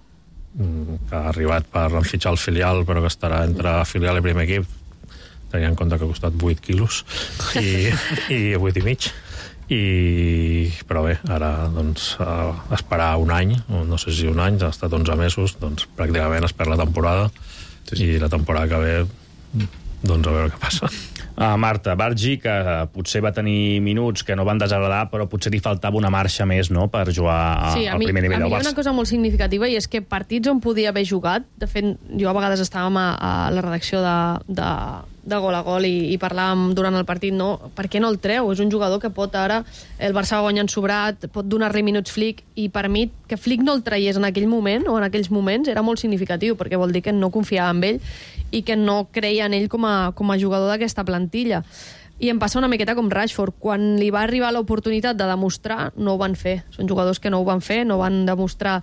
que ha arribat per fitxar el filial, però que estarà entre filial i primer equip, tenint en compte que ha costat 8 quilos i 8 i mig. Però bé, ara doncs, esperar un any, no sé si un any, ha estat 11 mesos, doncs pràcticament es perd la temporada, i la temporada que ve, doncs a veure què passa.
Marta, Bargi, que potser va tenir minuts que no van desagradar, però potser li faltava una marxa més, no?, per jugar al primer nivell del Barça.
A mi hi ha una cosa molt significativa, i és que partits on podia haver jugat, de fet, jo a vegades estàvem a la redacció de Gol a Gol i parlàvem durant el partit, no? Per què no el treu? És un jugador que pot ara, el Barça va guanyant sobrat, pot donar-li minuts Flick, i per mi que Flick no el traiés en aquell moment o en aquells moments era molt significatiu, perquè vol dir que no confiava en ell i que no creia en ell com a jugador d'aquesta plantilla. I em passa una miqueta com Rashford. Quan li va arribar l'oportunitat de demostrar, no ho van fer. Són jugadors que no ho van fer, no van demostrar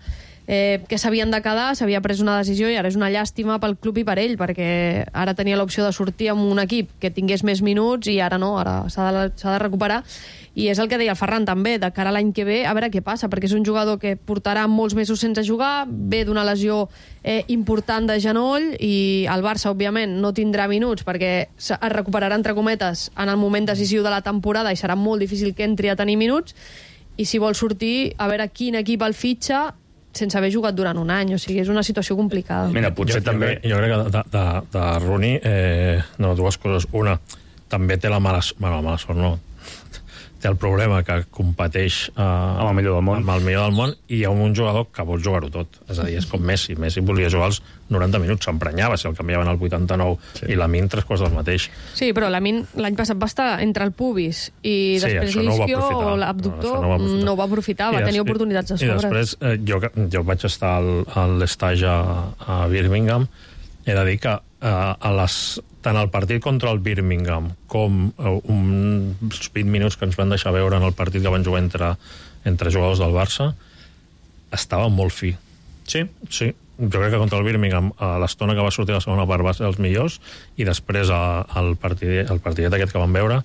que s'havien de quedar, s'havia pres una decisió, i ara és una llàstima pel club i per ell, perquè ara tenia l'opció de sortir amb un equip que tingués més minuts i ara no, ara s'ha de recuperar. I és el que deia el Ferran també, de cara a l'any que ve, a veure què passa, perquè és un jugador que portarà molts mesos sense jugar, ve d'una lesió important de genoll, i el Barça, òbviament, no tindrà minuts perquè es recuperarà, entre cometes, en el moment decisiu de la temporada, i serà molt difícil que entri a tenir minuts, i si vol sortir, a veure quin equip el fitxa sense haver jugat durant un any, o sigui, és una situació complicada.
Mira, potser també...
Jo crec que de Rooney, dues coses. Una, també té la mala sort, no, té el problema que competeix
amb el millor
del món, i hi ha un jugador que vol jugar-ho tot. És a dir, és com Messi. Messi volia jugar els 90 minuts, s'emprenyava si el canviaven al 89, i Lamine 3 quarts del mateix.
Sí, però Lamine l'any passat va estar entre el pubis i després l'isquio o l'abductor, no ho va aprofitar, va tenir oportunitats de sobre.
I després, jo vaig estar a l'estage a Birmingham, he de dir que tant el partit contra el Birmingham com uns 20 minuts que ens van deixar veure en el partit que van jugar entre jugadors del Barça, estava molt fi.
Sí?
Sí. Jo crec que contra el Birmingham, l'estona que va sortir a la segona part va ser els millors, i després el partidet aquest que vam veure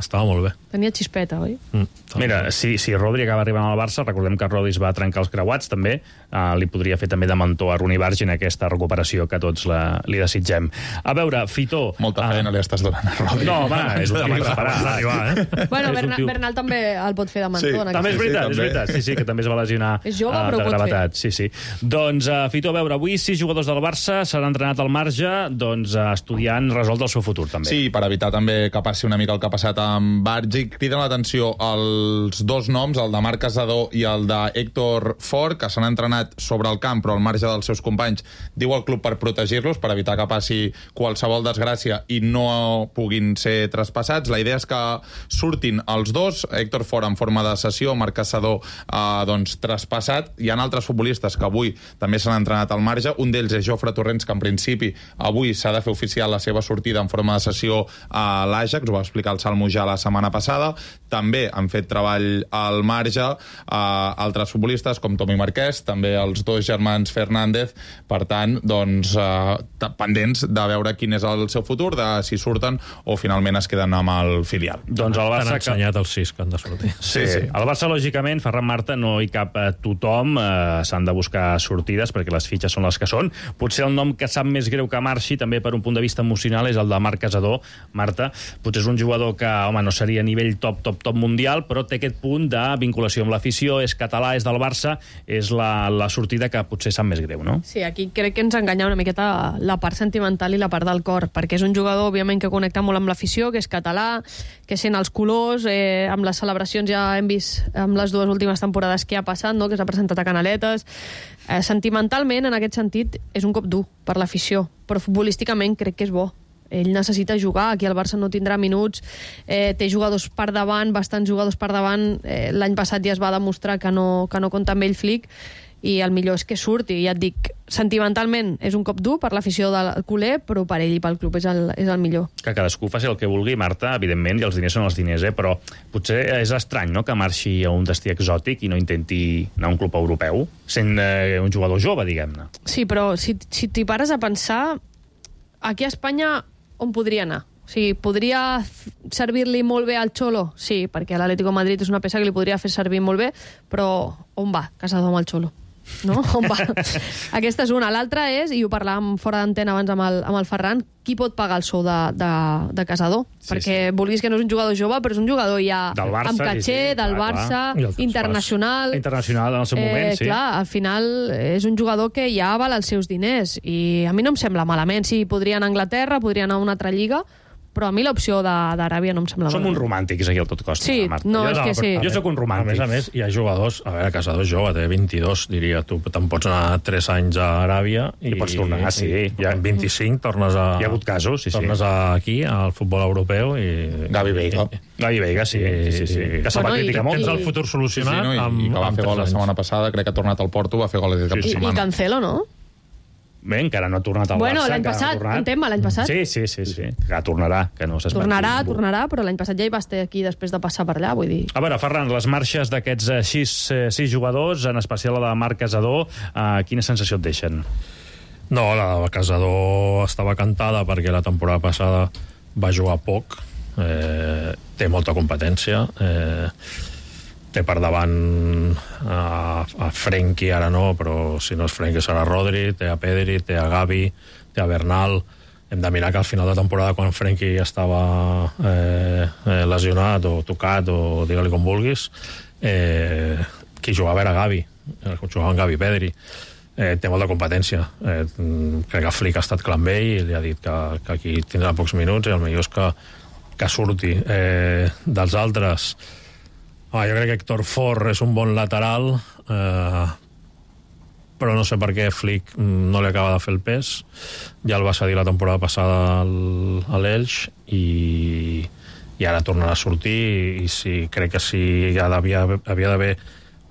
estava molt bé.
Tenia xispeta, oi?
Mira, si Rodri acaba arribant al Barça, recordem que Rodri es va trencar els creuats, també, li podria fer també de mentor a Rooney Bargi en aquesta recuperació que tots li desitgem. A veure, Fitó...
Molta feina li estàs donant a Rodri.
No, home, és un tio preparat.
Bueno, Bernal també el pot fer de mentor.
També és veritat, sí, que també es va lesionar de gravetat. Sí. Doncs, Fitó, a veure, avui 6 jugadors del Barça s'han entrenat al marge, doncs, estudiant resoldre el seu futur, també.
Sí, per evitar també que passi una mica el que ha passat amb Bargi. Criden l'atenció els dos noms, el de Marc Casadó i el de Héctor Fort, que s'han entrenat sobre el camp però al marge dels seus companys, diu el club, per protegir-los, per evitar que passi qualsevol desgràcia i no puguin ser traspassats. La idea és que surtin els dos, Héctor Fort en forma de sessió, Marc Casadó doncs traspassat. Hi ha altres futbolistes que avui també s'han entrenat al marge, un d'ells és Jofre Torrents, que en principi avui s'ha de fer oficial la seva sortida en forma de sessió a l'Ajax, ho va explicar el Salmo ja la setmana passada. passada. També han fet treball al marge altres futbolistes com Tomi Marquès, també els dos germans Fernández. Per tant, doncs, pendents de veure quin és el seu futur, de si surten o finalment es queden amb el filial.
Doncs el Barça...
Han ensenyat els 6 que han de sortir.
Sí. El Barça, lògicament, Ferran Marta, no hi cap tothom, s'han de buscar sortides perquè les fitxes són les que són. Potser el nom que sap més greu que marxi, també per un punt de vista emocional, és el de Marc Casador. Marta, potser és un jugador que, home, no seria a nivell top mundial, però té aquest punt de vinculació amb l'afició, és català, és del Barça, és la sortida que potser sap més greu, no?
Sí, aquí crec que ens enganya una miqueta la part sentimental i la part del cor, perquè és un jugador, òbviament, que connecta molt amb l'afició, que és català, que sent els colors, amb les celebracions ja hem vist amb les dues últimes temporades que ha passat, no? Que s'ha presentat a Canaletes. Sentimentalment, en aquest sentit, és un cop dur per l'afició, però futbolísticament crec que és bo. Ell necessita jugar, aquí el Barça no tindrà minuts, té jugadors per davant, bastants jugadors per davant, l'any passat ja es va demostrar que no compta amb ell Flick, i el millor és que surti. Ja et dic, sentimentalment és un cop dur per l'afició del culer, però per ell i pel club és el millor.
Que cadascú faci el que vulgui, Marta, evidentment, i els diners són els diners, però potser és estrany, no?, que marxi a un destí exòtic i no intenti anar a un club europeu, sent un jugador jove, diguem-ne.
Sí, però si t'hi pares a pensar, aquí a Espanya on podria anar? O sigui, podria servir-li molt bé al Xolo? Sí, perquè l'Atlético de Madrid és una peça que li podria fer servir molt bé, però on va Casador amb el Xolo? No? On va? Aquesta és una. L'altra és, i ho parlàvem fora d'antena abans amb el Ferran, qui pot pagar el sou de Casador? Sí, perquè vulguis que no és un jugador jove, però és un jugador ja
del Barça,
amb caché, del Barça, internacional.
Internacional en el seu moment, sí.
Clar, al final és un jugador que ja val els seus diners, i a mi no em sembla malament. Sí, podria anar a Anglaterra, podria anar a una altra lliga, però a mi l'opció d'Aràbia no em sembla
malament. Som uns romàntics aquí al Tot Costa.
Sí,
Marta.
no, és que sí.
Jo soc un romàntic.
A més, hi ha jugadors... A veure, Casador és jove, té 22, diria. Tu te'n pots anar 3 anys a Aràbia i pots tornar, sí. Amb 25 tornes a...
Hi ha hagut casos, sí.
Tornes aquí, al futbol europeu, i...
Gavi Veiga.
Gavi Veiga, sí. Que se'l va criticar molt.
Tens el futur solucionat.
I que va fer gol la setmana passada, crec que ha tornat al Porto, va fer gol aquesta setmana.
I Cancelo, no?
Bé, encara no ha tornat al Barça.
Bueno, l'any passat, un tema, l'any passat.
Sí. Que tornarà, que no s'espanti.
Tornarà, però l'any passat ja hi va estar aquí després de passar per allà, vull dir.
A veure, Ferran, les marxes d'aquests 6 jugadors, en especial la de Marc Casador, quina sensació et deixen?
No, la de Casador estava cantada perquè la temporada passada va jugar poc, té molta competència, té per davant a Frenkie, ara no, però si no és Frenkie serà Rodri, té a Pedri, té a Gavi, té a Bernal. Hem de mirar que al final de temporada, quan Frenkie estava lesionat o tocat, o digue-li com vulguis, qui jugava era Gavi, jugaven Gavi i Pedri. Té molta competència. Crec que Flick ha estat clar amb ell i li ha dit que aquí tindrà pocs minuts i el millor és que surti. Dels altres, jo crec que Héctor Fort és un bon lateral, però no sé per què Flick no li acaba de fer el pes. Ja el va cedir la temporada passada a l'Elx i ara tornarà a sortir, i crec que si havia d'haver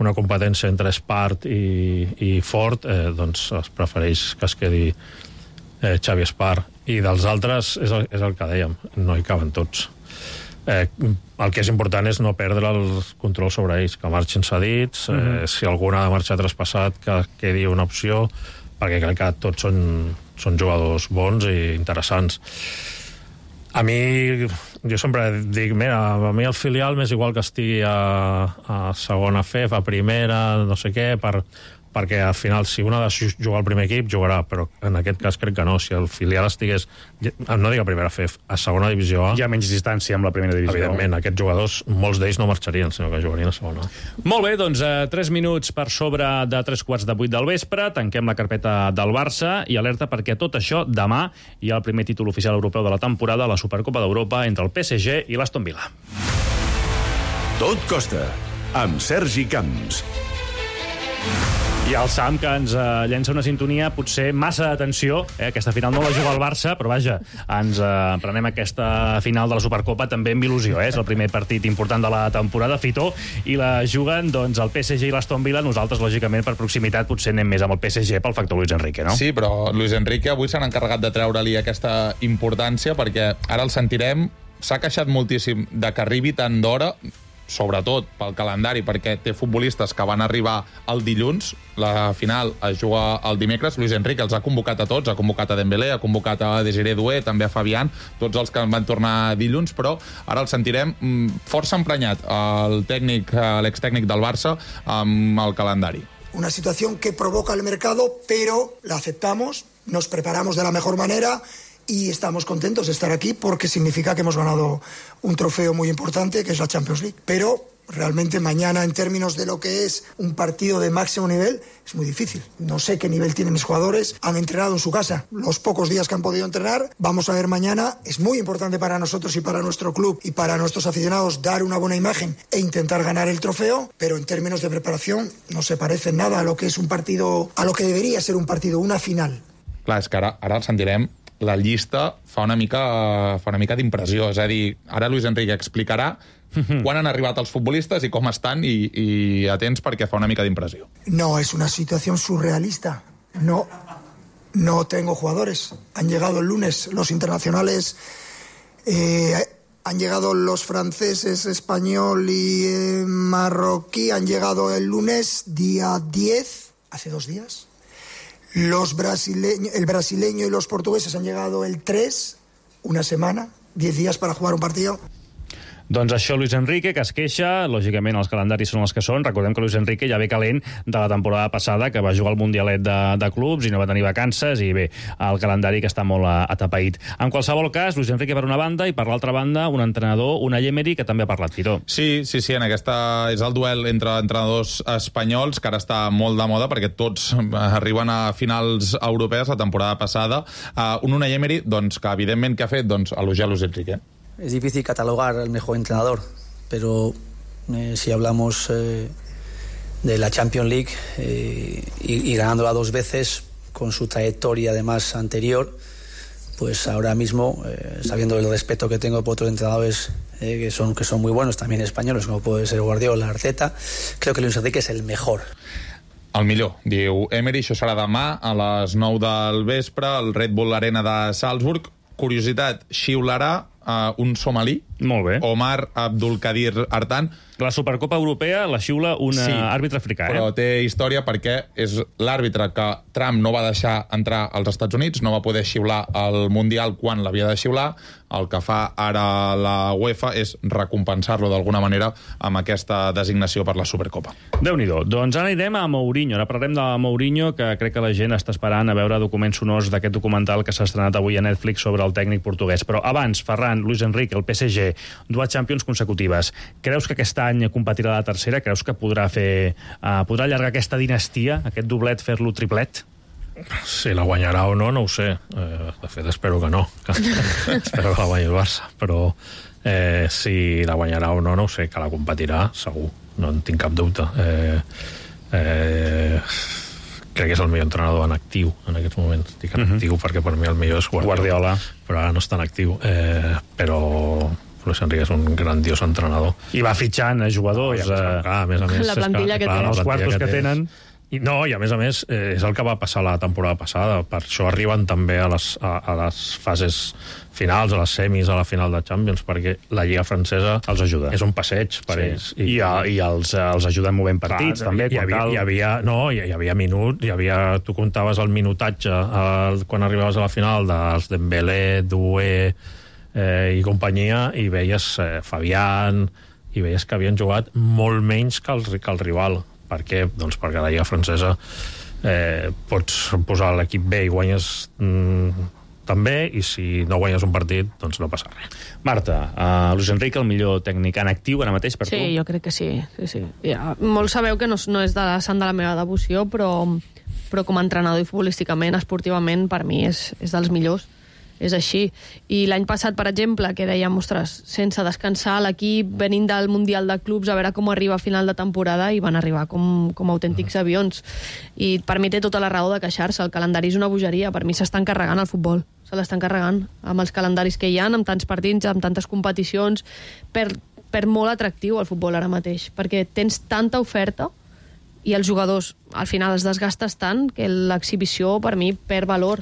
una competència entre Espart i Fort, doncs es prefereix que es quedi Xavi Espart. I dels altres és el que dèiem, no hi caben tots. El que és important és no perdre el control sobre ells, que marxin cedits, si algun ha de marxar traspassat, que quedi una opció, perquè crec que tots són jugadors bons i interessants. A mi, jo sempre dic, mira, a mi el filial m'és igual que estigui a segona FEF, a primera, no sé què, perquè al final, si un ha de jugar al primer equip, jugarà, però en aquest cas crec que no. Si el filial estigués, no dic a primera FEF, a segona divisió A...
Hi ha menys distància amb la primera divisió.
Evidentment, aquests jugadors, molts d'ells no marxarien, sinó que jugarien a segona.
Molt bé, doncs 3 minuts per sobre de 3:45 del vespre, tanquem la carpeta del Barça i alerta perquè tot això, demà hi ha el primer títol oficial europeu de la temporada, la Supercopa d'Europa, entre el PSG i l'Aston Villa.
Tot costa, amb Sergi Camps.
I el Sam, que ens llença una sintonia potser massa d'atenció. Aquesta final no la juga el Barça, però vaja, ens prenem aquesta final de la Supercopa també amb il·lusió. És el primer partit important de la temporada, Fitó, i la juguen doncs, el PSG i l'Aston Villa. Nosaltres, lògicament, per proximitat, potser anem més amb el PSG pel factor Luis Enrique, no?
Sí, però Luis Enrique avui s'han encarregat de treure-li aquesta importància, perquè ara el sentirem s'ha queixat moltíssim de que arribi tant d'hora, sobretot pel calendari, perquè té futbolistes que van arribar el dilluns, la final es juga el dimecres. Luis Enrique els ha convocat a tots, ha convocat a Dembélé, ha convocat a Desiré Doué, també a Fabián, tots els que van tornar dilluns, però ara el sentirem força emprenyat, l'extècnic del Barça, amb el calendari.
Una situación que provoca el mercado, pero la aceptamos, nos preparamos de la mejor manera y estamos contentos de estar aquí porque significa que hemos ganado un trofeo muy importante, que es la Champions League. Pero realmente mañana, en términos de lo que es un partido de máximo nivel, es muy difícil. No sé qué nivel tienen mis jugadores. Han entrenado en su casa los pocos días que han podido entrenar. Vamos a ver mañana. Es muy importante para nosotros y para nuestro club y para nuestros aficionados dar una buena imagen e intentar ganar el trofeo, pero en términos de preparación no se parece nada a lo que es un partido, a lo que debería ser un partido, una final.
Clar, és que ara el sentirem. La llista fa una mica d'impressió. És a dir, ara Luis Enrique explicarà quan han arribat els futbolistes i com estan, i atents perquè fa una mica d'impressió.
No, es una situación surrealista. No tengo jugadores. Han llegado el lunes los internacionales, han llegado los franceses, español y marroquí, han llegado el lunes, día 10, hace 2 días. El brasileño y los portugueses han llegado el 3, una semana, 10 días para jugar un partido.
Doncs això, Luis Enrique, que es queixa. Lògicament, els calendaris són els que són. Recordem que Luis Enrique ja ve calent de la temporada passada, que va jugar al Mundialet de clubs i no va tenir vacances, i bé, el calendari que està molt atapeït. En qualsevol cas, Luis Enrique per una banda, i per l'altra banda, un entrenador, Unai Emery, que també ha parlat, Tito.
Sí, en aquesta és el duel entre entrenadors espanyols, que ara està molt de moda, perquè tots arriben a finals europees la temporada passada. Un Unai Emery, doncs, que evidentment que ha fet? Doncs elogiar Luis Enrique.
Es difícil catalogar el mejor entrenador, pero si hablamos de la Champions League y ganándola 2 veces, con su trayectoria además anterior, pues ahora mismo, sabiendo el respeto que tengo por otros entrenadores que son muy buenos, también españoles, como puede ser Guardiola, Arteta, creo que Luis Enrique es el mejor.
El millor, diu Emery. Això serà demà a les 9 del vespre, al Red Bull Arena de Salzburg. Curiositat, xiularà un somalí,
molt bé,
Omar Abdulkadir Artan.
La Supercopa Europea la xiula un àrbitre africà.
Però té història perquè és l'àrbitre que Trump no va deixar entrar als Estats Units, no va poder xiular el Mundial quan l'havia de xiular. El que fa ara la UEFA és recompensar-lo d'alguna manera amb aquesta designació per la Supercopa.
Déu-n'hi-do. Doncs ara anirem a Mourinho. Ara parlarem de Mourinho, que crec que la gent està esperant a veure documents sonors d'aquest documental que s'ha estrenat avui a Netflix sobre el tècnic portuguès. Però abans, Ferran, Luis Enrique, el PSG, 2 Champions consecutives. Creus que aquest any competirà la tercera? Creus que podrà allargar aquesta dinastia, aquest doblet, fer-lo triplet?
Si la guanyarà o no, no ho sé. De fet, espero que no. Espero que la guanyi el Barça. Però si la guanyarà o no, no ho sé. Que la competirà, segur. No en tinc cap dubte. Crec que és el millor entrenador en actiu en aquests moments. Dic en actiu perquè per mi el millor és Guardiola. Però ara no està en actiu. Però Luis Enrique és un grandiós entrenador.
I va fitxant jugadors.
A més a més,
la plantilla que té.
Els quartos que tenen.
I a més, és el que va passar la temporada passada. Per això arriben també a les fases finals, a les semis, a la final de Champions, perquè la Lliga francesa
els ajuda.
És un passeig per ells.
I els ajuda movent partits, també.
Hi havia minuts, tu comptaves el minutatge quan arribaves a la final dels Dembélé, Doué i companyia, i veies Fabián, i veies que havien jugat molt menys que el rival. Per què? Doncs perquè a la Lliga francesa pots posar l'equip B i guanyes també, i si no guanyes un partit, doncs no passa res.
Marta, Luis Enrique, el millor tècnic en actiu ara mateix per tu?
Sí, jo crec que sí. Ja, molts sabeu que no és de la sant de la meva devoció, però com a entrenador i futbolísticament, esportivament, per mi és dels millors. És així. I l'any passat, per exemple, que dèiem, ostres, sense descansar l'equip, venint del Mundial de Clubs, a veure com arriba a final de temporada, i van arribar com autèntics avions. I per mi té tota la raó de queixar-se. El calendari és una bogeria. Per mi s'estan carregant el futbol. Se l'estan carregant amb els calendaris que hi ha, amb tants partits, amb tantes competicions. Per molt atractiu el futbol ara mateix, perquè tens tanta oferta i els jugadors al final es desgastes tant que l'exhibició per mi perd valor.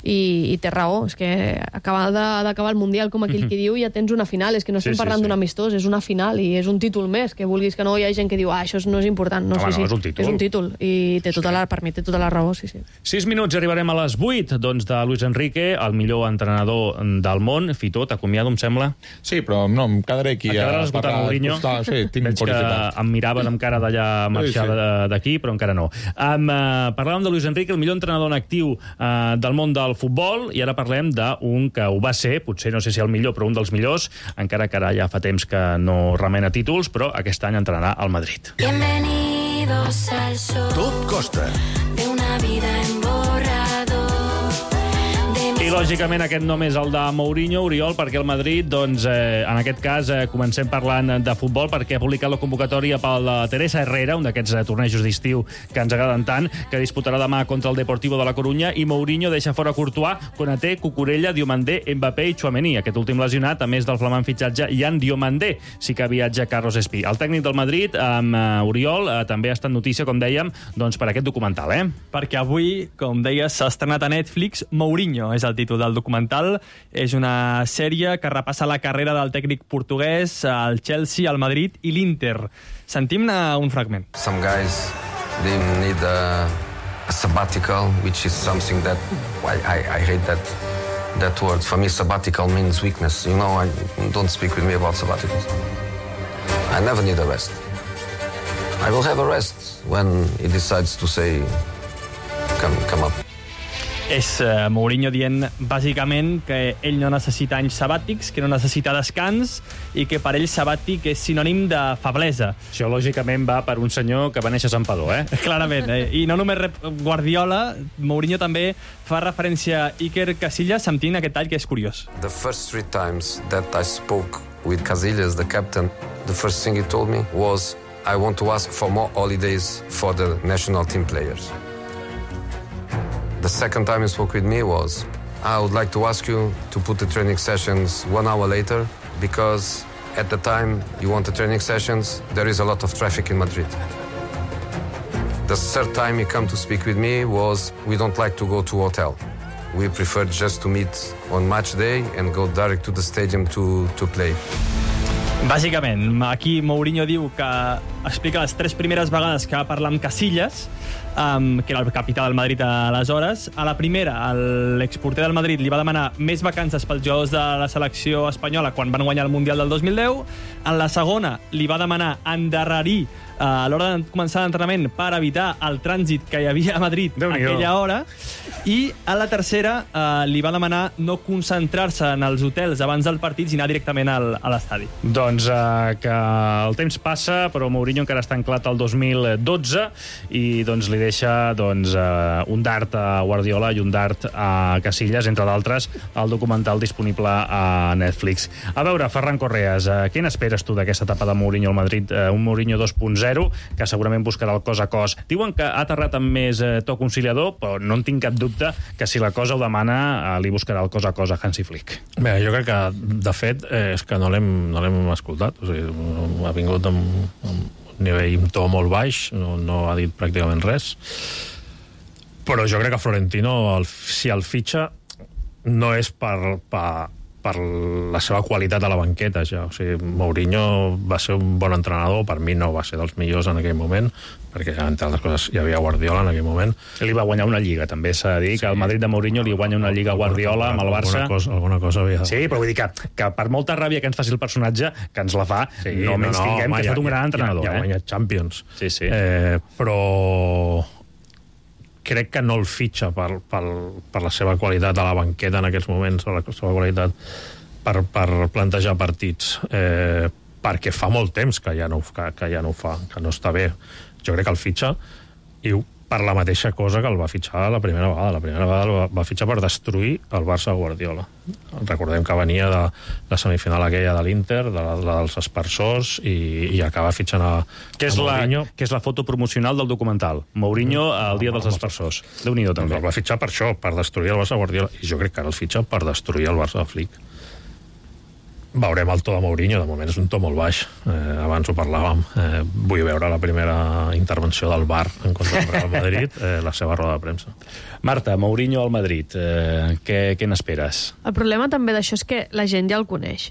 i té raó, és que acabar d'acabar el Mundial, com aquell que diu, ja tens una final, és que no estem parlant d'un amistós, és una final i és un títol més, que vulguis que no, hi ha gent que diu això no és important, no,
és un títol.
És un títol, i per mi té tota la raó, sí.
6 minuts, arribarem a les 8, doncs de Luis Enrique, el millor entrenador del món. Fitó, t'acomiado, em sembla?
Sí, però no, em quedaré aquí.
Et quedaràs escoltant Mourinho?
Sí, tinc curiositat.
Em miraven amb cara d'allà marxar d'aquí, però encara no. Parlàvem de Luis Enrique, el millor entrenador en actiu del món del futbol, i ara parlem d'un que ho va ser, potser no sé si el millor, però un dels millors, encara que ara ja fa temps que no remena títols, però aquest any entrenarà al Madrid.
Bienvenidos al show.
Tot costa.
De una vida en borrador.
I, lògicament, aquest nom és el de Mourinho, Oriol, perquè el Madrid, doncs, en aquest cas, comencem parlant de futbol, perquè ha publicat la convocatòria pel Teresa Herrera, un d'aquests tornejos d'estiu que ens agraden tant, que disputarà demà contra el Deportivo de la Corunya, i Mourinho deixa fora Courtois, Konaté, Cucurella, Diomandé, Mbappé i Tchouaméni. Aquest últim lesionat, a més del flamant fitxatge, Yan Diomandé, sí que viatja Carlos Espí. El tècnic del Madrid, amb Oriol, també ha estat notícia, com dèiem, doncs, per aquest documental,
Perquè avui, com deies, s'ha estrenat a Netflix Mourinho, és el títol del documental. És una sèrie que repassa la carrera del tècnic portuguès, el Chelsea, el Madrid i l'Inter. Sentim-ne un fragment.
Some guys, they need a sabbatical, which is something that I hate that word. For me, sabbatical means weakness. You know, don't speak with me about sabbaticals. I never need a rest. I will have a rest when he decides to say, come up.
És Mourinho dient, bàsicament, que ell no necessita anys sabàtics, que no necessita descans i que per ell sabàtic és sinònim de feblesa.
Això, lògicament, va per un senyor que va néixer a Santpedor,
Clarament, I no només rep Guardiola, Mourinho també fa referència a Iker Casillas, sentint aquest tall que és curiós.
The first 3 times that I spoke with Casillas, the captain, the first thing he told me was, I want to ask for more holidays for the national team players. The second time he spoke with me was, I would like to ask you to put the training sessions 1 hour later, because at the time you want the training sessions, there is a lot of traffic in Madrid. The third time he came to speak with me was, we don't like to go to hotel. We prefer just to meet on match day and go direct to the stadium to play.
Bàsicament, aquí Mourinho diu que explica les 3 primeres vegades que va parlar amb Casillas, que era el capità del Madrid aleshores. A la primera, l'exporter del Madrid li va demanar més vacances pels jugadors de la selecció espanyola quan van guanyar el Mundial del 2010. En la segona, li va demanar endarrerir a l'hora de començar l'entrenament per evitar el trànsit que hi havia a Madrid a aquella hora. I a la tercera li va demanar no concentrar-se en els hotels abans del partit i anar directament a l'estadi.
Doncs que el temps passa, però Mourinho encara està anclat al 2012 i doncs li deixa un dart a Guardiola i un dart a Casillas, entre d'altres, el documental disponible a Netflix. A veure, Ferran Correas, què n'esperes tu d'aquesta etapa de Mourinho al Madrid? Un Mourinho 2.0, que segurament buscarà el cos a cos. Diuen que ha aterrat amb més to conciliador, però no en tinc cap dubte que si la cosa ho demana li buscarà el cos a Hansi Flick.
Bé, jo crec que, de fet, és que no l'hem escoltat. O sigui, ha vingut amb un nivell, un to molt baix, no ha dit pràcticament res. Però jo crec que Florentino, si el fitxa, no és per la seva qualitat a la banqueta, ja. O sigui, Mourinho va ser un bon entrenador, per mi no va ser dels millors en aquell moment, perquè, entre altres coses, hi havia Guardiola en aquell moment.
Li va guanyar una lliga, també s'ha de dir, que el Madrid de Mourinho li guanya una lliga a Guardiola amb el Barça.
Alguna cosa havia...
Sí, però vull dir que per molta ràbia que ens faci el personatge, que ens la fa, no menys tinguem que ha estat un gran entrenador.
Ja ha guanyat Champions.
Sí.
Però crec que no el fitxa per la seva qualitat a la banqueta en aquests moments, la seva qualitat per plantejar partits, perquè fa molt temps que ja no ho fa, que no està bé. Jo crec que el fitxa i per la mateixa cosa que el va fitxar la primera vegada. La primera vegada el va fitxar per destruir el Barça Guardiola. Recordem que venia de la semifinal aquella de l'Inter, dels aspersors, i acaba fitxant a Mourinho.
Que és la foto promocional del documental. Mourinho el dia dels aspersors. Déu-n'hi-do, també.
El va fitxar per això, per destruir el Barça Guardiola. I jo crec que ara el fitxa per destruir el Barça de Flick. Veurem el to de Mourinho, de moment és un to molt baix. Abans ho parlàvem. Vull veure la primera intervenció del VAR en contra del Real Madrid, la seva roda de premsa.
Marta, Mourinho al Madrid, què n'esperes?
El problema també d'això és que la gent ja el coneix.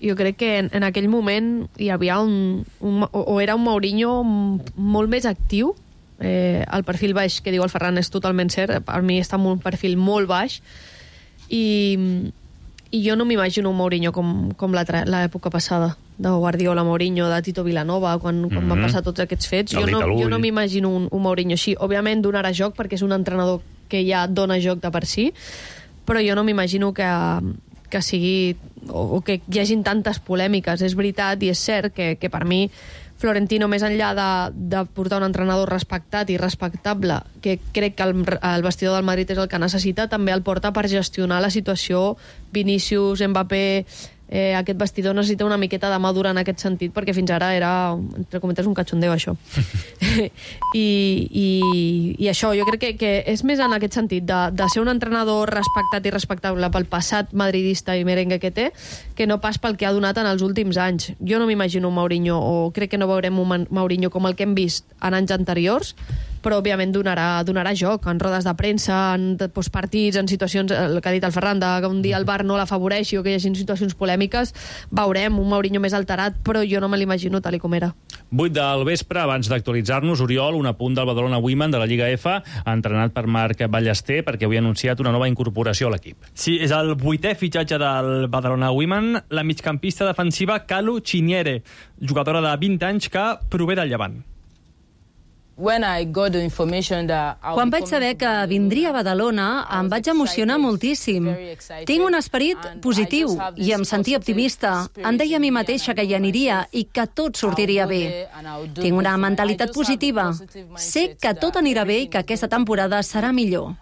Jo crec que en aquell moment hi havia era un Mourinho molt més actiu. El perfil baix que diu el Ferran és totalment cert. Per mi està en un perfil molt baix. I jo no m'imagino un Mourinho com l'època passada, de Guardiola, Mourinho, de Tito Vilanova, quan van passar tots aquests fets. Jo no m'imagino un Mourinho així. Òbviament donarà joc, perquè és un entrenador que ja dona joc de per si, però jo no m'imagino que sigui, o que hi hagin tantes polèmiques. És veritat i és cert que per mi Florentino, més enllà de portar un entrenador respectat i respectable, que crec que el vestidor del Madrid és el que necessita, també el porta per gestionar la situació. Vinícius, Mbappé, aquest vestidor necessita una miqueta de madura en aquest sentit, perquè fins ara era, entre cometes, un cachondeo, això. I això, jo crec que és més en aquest sentit, de ser un entrenador respectat i respectable pel passat madridista i merengue que té, que no pas pel que ha donat en els últims anys. Jo no m'imagino un Mourinho, o crec que no veurem un Mourinho com el que hem vist en anys anteriors, però òbviament donarà joc en rodes de premsa, en postpartits, en situacions, el que ha dit el Ferran, que un dia el VAR no l'afavoreixi o que hi hagi situacions polèmiques. Veurem un Mourinho més alterat, però jo no me l'imagino tal com era.
8 del vespre, abans d'actualitzar-nos, Oriol, un apunt del Badalona Women de la Lliga F, entrenat per Marc Ballester, perquè avui ha anunciat una nova incorporació a l'equip.
Sí, és el 8è fitxatge del Badalona Women, la migcampista defensiva Kalu Chiniere, jugadora de 20 anys que prové del Llevant.
Quan vaig saber que vindria a Badalona, em vaig emocionar moltíssim. Tinc un esperit positiu i em sentia optimista. Em deia a mi mateixa que hi aniria i que tot sortiria bé. Tinc una mentalitat positiva. Sé que tot anirà bé i que aquesta temporada serà millor.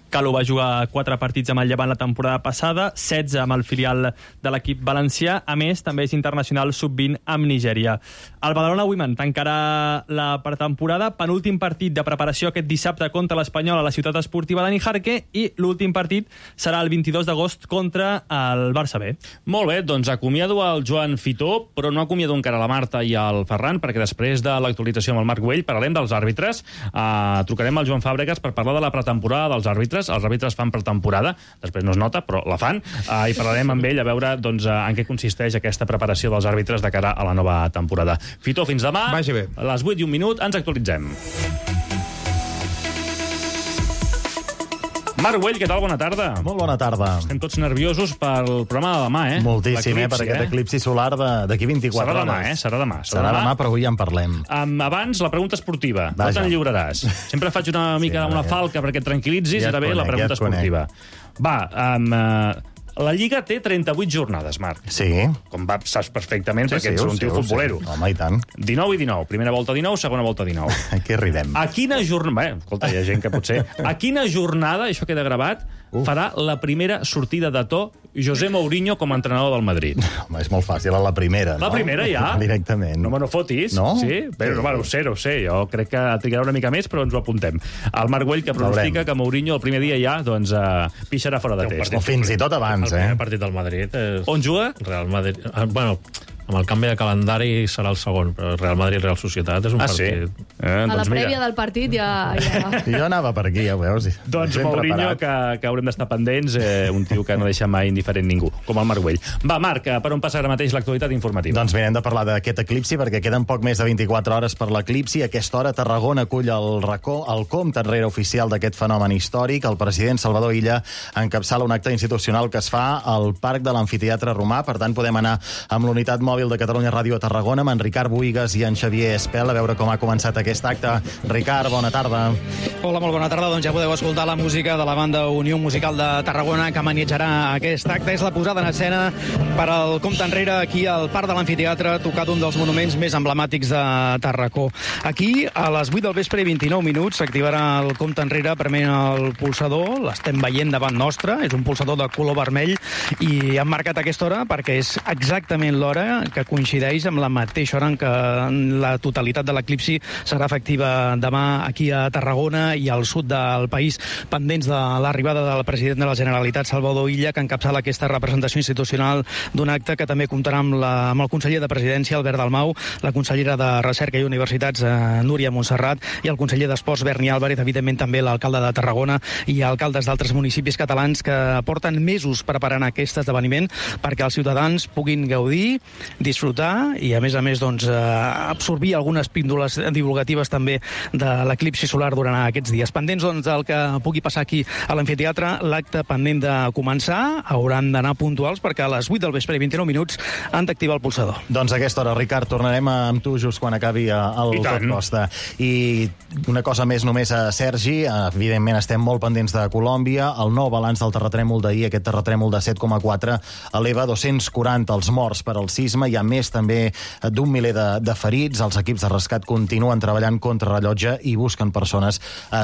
Kalu va jugar 4 partits amb el Llevant la temporada passada, 16 amb el filial de l'equip valencià. A més, també és internacional sub-20 amb Nigèria. El Badalona Women tancarà la pretemporada, penúltim partit de preparació aquest dissabte contra l'Espanyol a la ciutat esportiva de Nijarque, i l'últim partit serà el 22 d'agost contra el Barça B.
Molt bé, doncs acomiado el Joan Fitó, però no acomiado encara la Marta i el Ferran, perquè després de l'actualització amb el Marc Güell parlarem dels àrbitres. Trucarem al Joan Fàbregas per parlar de la pretemporada dels àrbitres. Els àrbitres fan pretemporada, després no es nota, però la fan, i parlarem amb ell a veure en què consisteix aquesta preparació dels àrbitres de cara a la nova temporada. Fitó, fins demà.
Vagi bé.
A les 8 i 1 minut ens actualitzem. Marc Güell, què tal? Bona tarda.
Molt bona tarda.
Estem tots nerviosos pel programa de demà, eh?
Moltíssim, per aquest eclipsi solar d'aquí 24 hores.
Serà demà, Serà demà.
Serà demà, però avui ja en parlem.
Abans, la pregunta esportiva. No te'n lliuraràs. Sempre faig una falca perquè et tranquil·litzis, i ara ve la pregunta esportiva. Va, la Lliga té 38 jornades, Marc.
Sí.
Com saps perfectament, perquè ets un tio futbolero.
Home, i tant.
19 i 19. Primera volta 19, segona volta 19.
Aquí arribem.
A quina jornada... Escolta, hi ha gent que potser... A quina jornada, això queda gravat, farà la primera sortida de to José Mourinho com a entrenador del Madrid?
Home, és molt fàcil, a la primera, no?
La primera, ja?
Directament.
No me no fotis.
No?
Sí? Bé, ho sé. Jo crec que trigarà una mica més, però ens ho apuntem. El Marc Güell, que pronostica que Mourinho el primer dia ja pixarà fora de test.
O fins i tot abans,
El primer partit del Madrid és...
On juga?
Real Madrid. Bueno, amb el canvi de calendari serà el segon, però Real Madrid-Real Societat és un partit...
Sí?
A la prèvia del partit ja...
Jo anava per aquí, ja ho veus.
Doncs Mourinho, que haurem d'estar pendents, un tio que no deixa mai indiferent ningú, com el Marc Güell. Va, Marc, per on passa ara mateix l'actualitat informativa?
Doncs mirem de parlar d'aquest eclipsi, perquè queden poc més de 24 hores per l'eclipsi. A aquesta hora, Tarragona acull el compte enrere oficial d'aquest fenomen històric. El president Salvador Illa encapçala un acte institucional que es fa al Parc de l'Amfiteatre Romà. Per tant, podem anar amb l'unitat mòbil de Catalunya Ràdio a Tarragona, amb en Ricard Buigas i en Xavier Espel, a veure com ha començat aquest acte. Ricard, bona tarda.
Hola, molt bona tarda. Doncs ja podeu escoltar la música de la banda Unió Musical de Tarragona, que manejarà aquest acte. És la posada en escena per al compte enrere aquí al Parc de l'Amfiteatre, tocat un dels monuments més emblemàtics de Tarracó. Aquí, a les 8 del vespre i 29 minuts, s'activarà el compte enrere prement el pulsador. L'estem veient davant nostre. És un pulsador de color vermell i han marcat aquesta hora perquè és exactament l'hora que coincideix amb la mateixa hora en què la totalitat de l'eclipsi serà efectiva demà aquí a Tarragona i al sud del país, pendents de l'arribada del president de la Generalitat, Salvador Illa, que encapçala aquesta representació institucional d'un acte que també comptarà amb el conseller de Presidència, Albert Dalmau, la consellera de Recerca i Universitats, Núria Montserrat, i el conseller d'Esports, Berni Álvarez, evidentment també l'alcalde de Tarragona i alcaldes d'altres municipis catalans que porten mesos preparant aquest esdeveniment perquè els ciutadans puguin gaudir, disfrutar i, a més, doncs, absorbir algunes píndoles divulgatives també de l'eclipsi solar durant aquests dies. Pendents, doncs, del que pugui passar aquí a l'amfiteatre, l'acte pendent de començar, hauran d'anar puntuals perquè a les 8 del vespre i 29 minuts han d'activar el pulsador.
Doncs a aquesta hora, Ricard, tornarem amb tu just quan acabi el Tot Costa. I una cosa més només a Sergi, evidentment estem molt pendents de Colòmbia, el nou balanç del terratrèmol d'ahir, aquest terratrèmol de 7,4, eleva 240 els morts per al sisme, hi ha més també d'un miler de ferits, els equips de rescat continuen treballant contra rellotge i busquen persones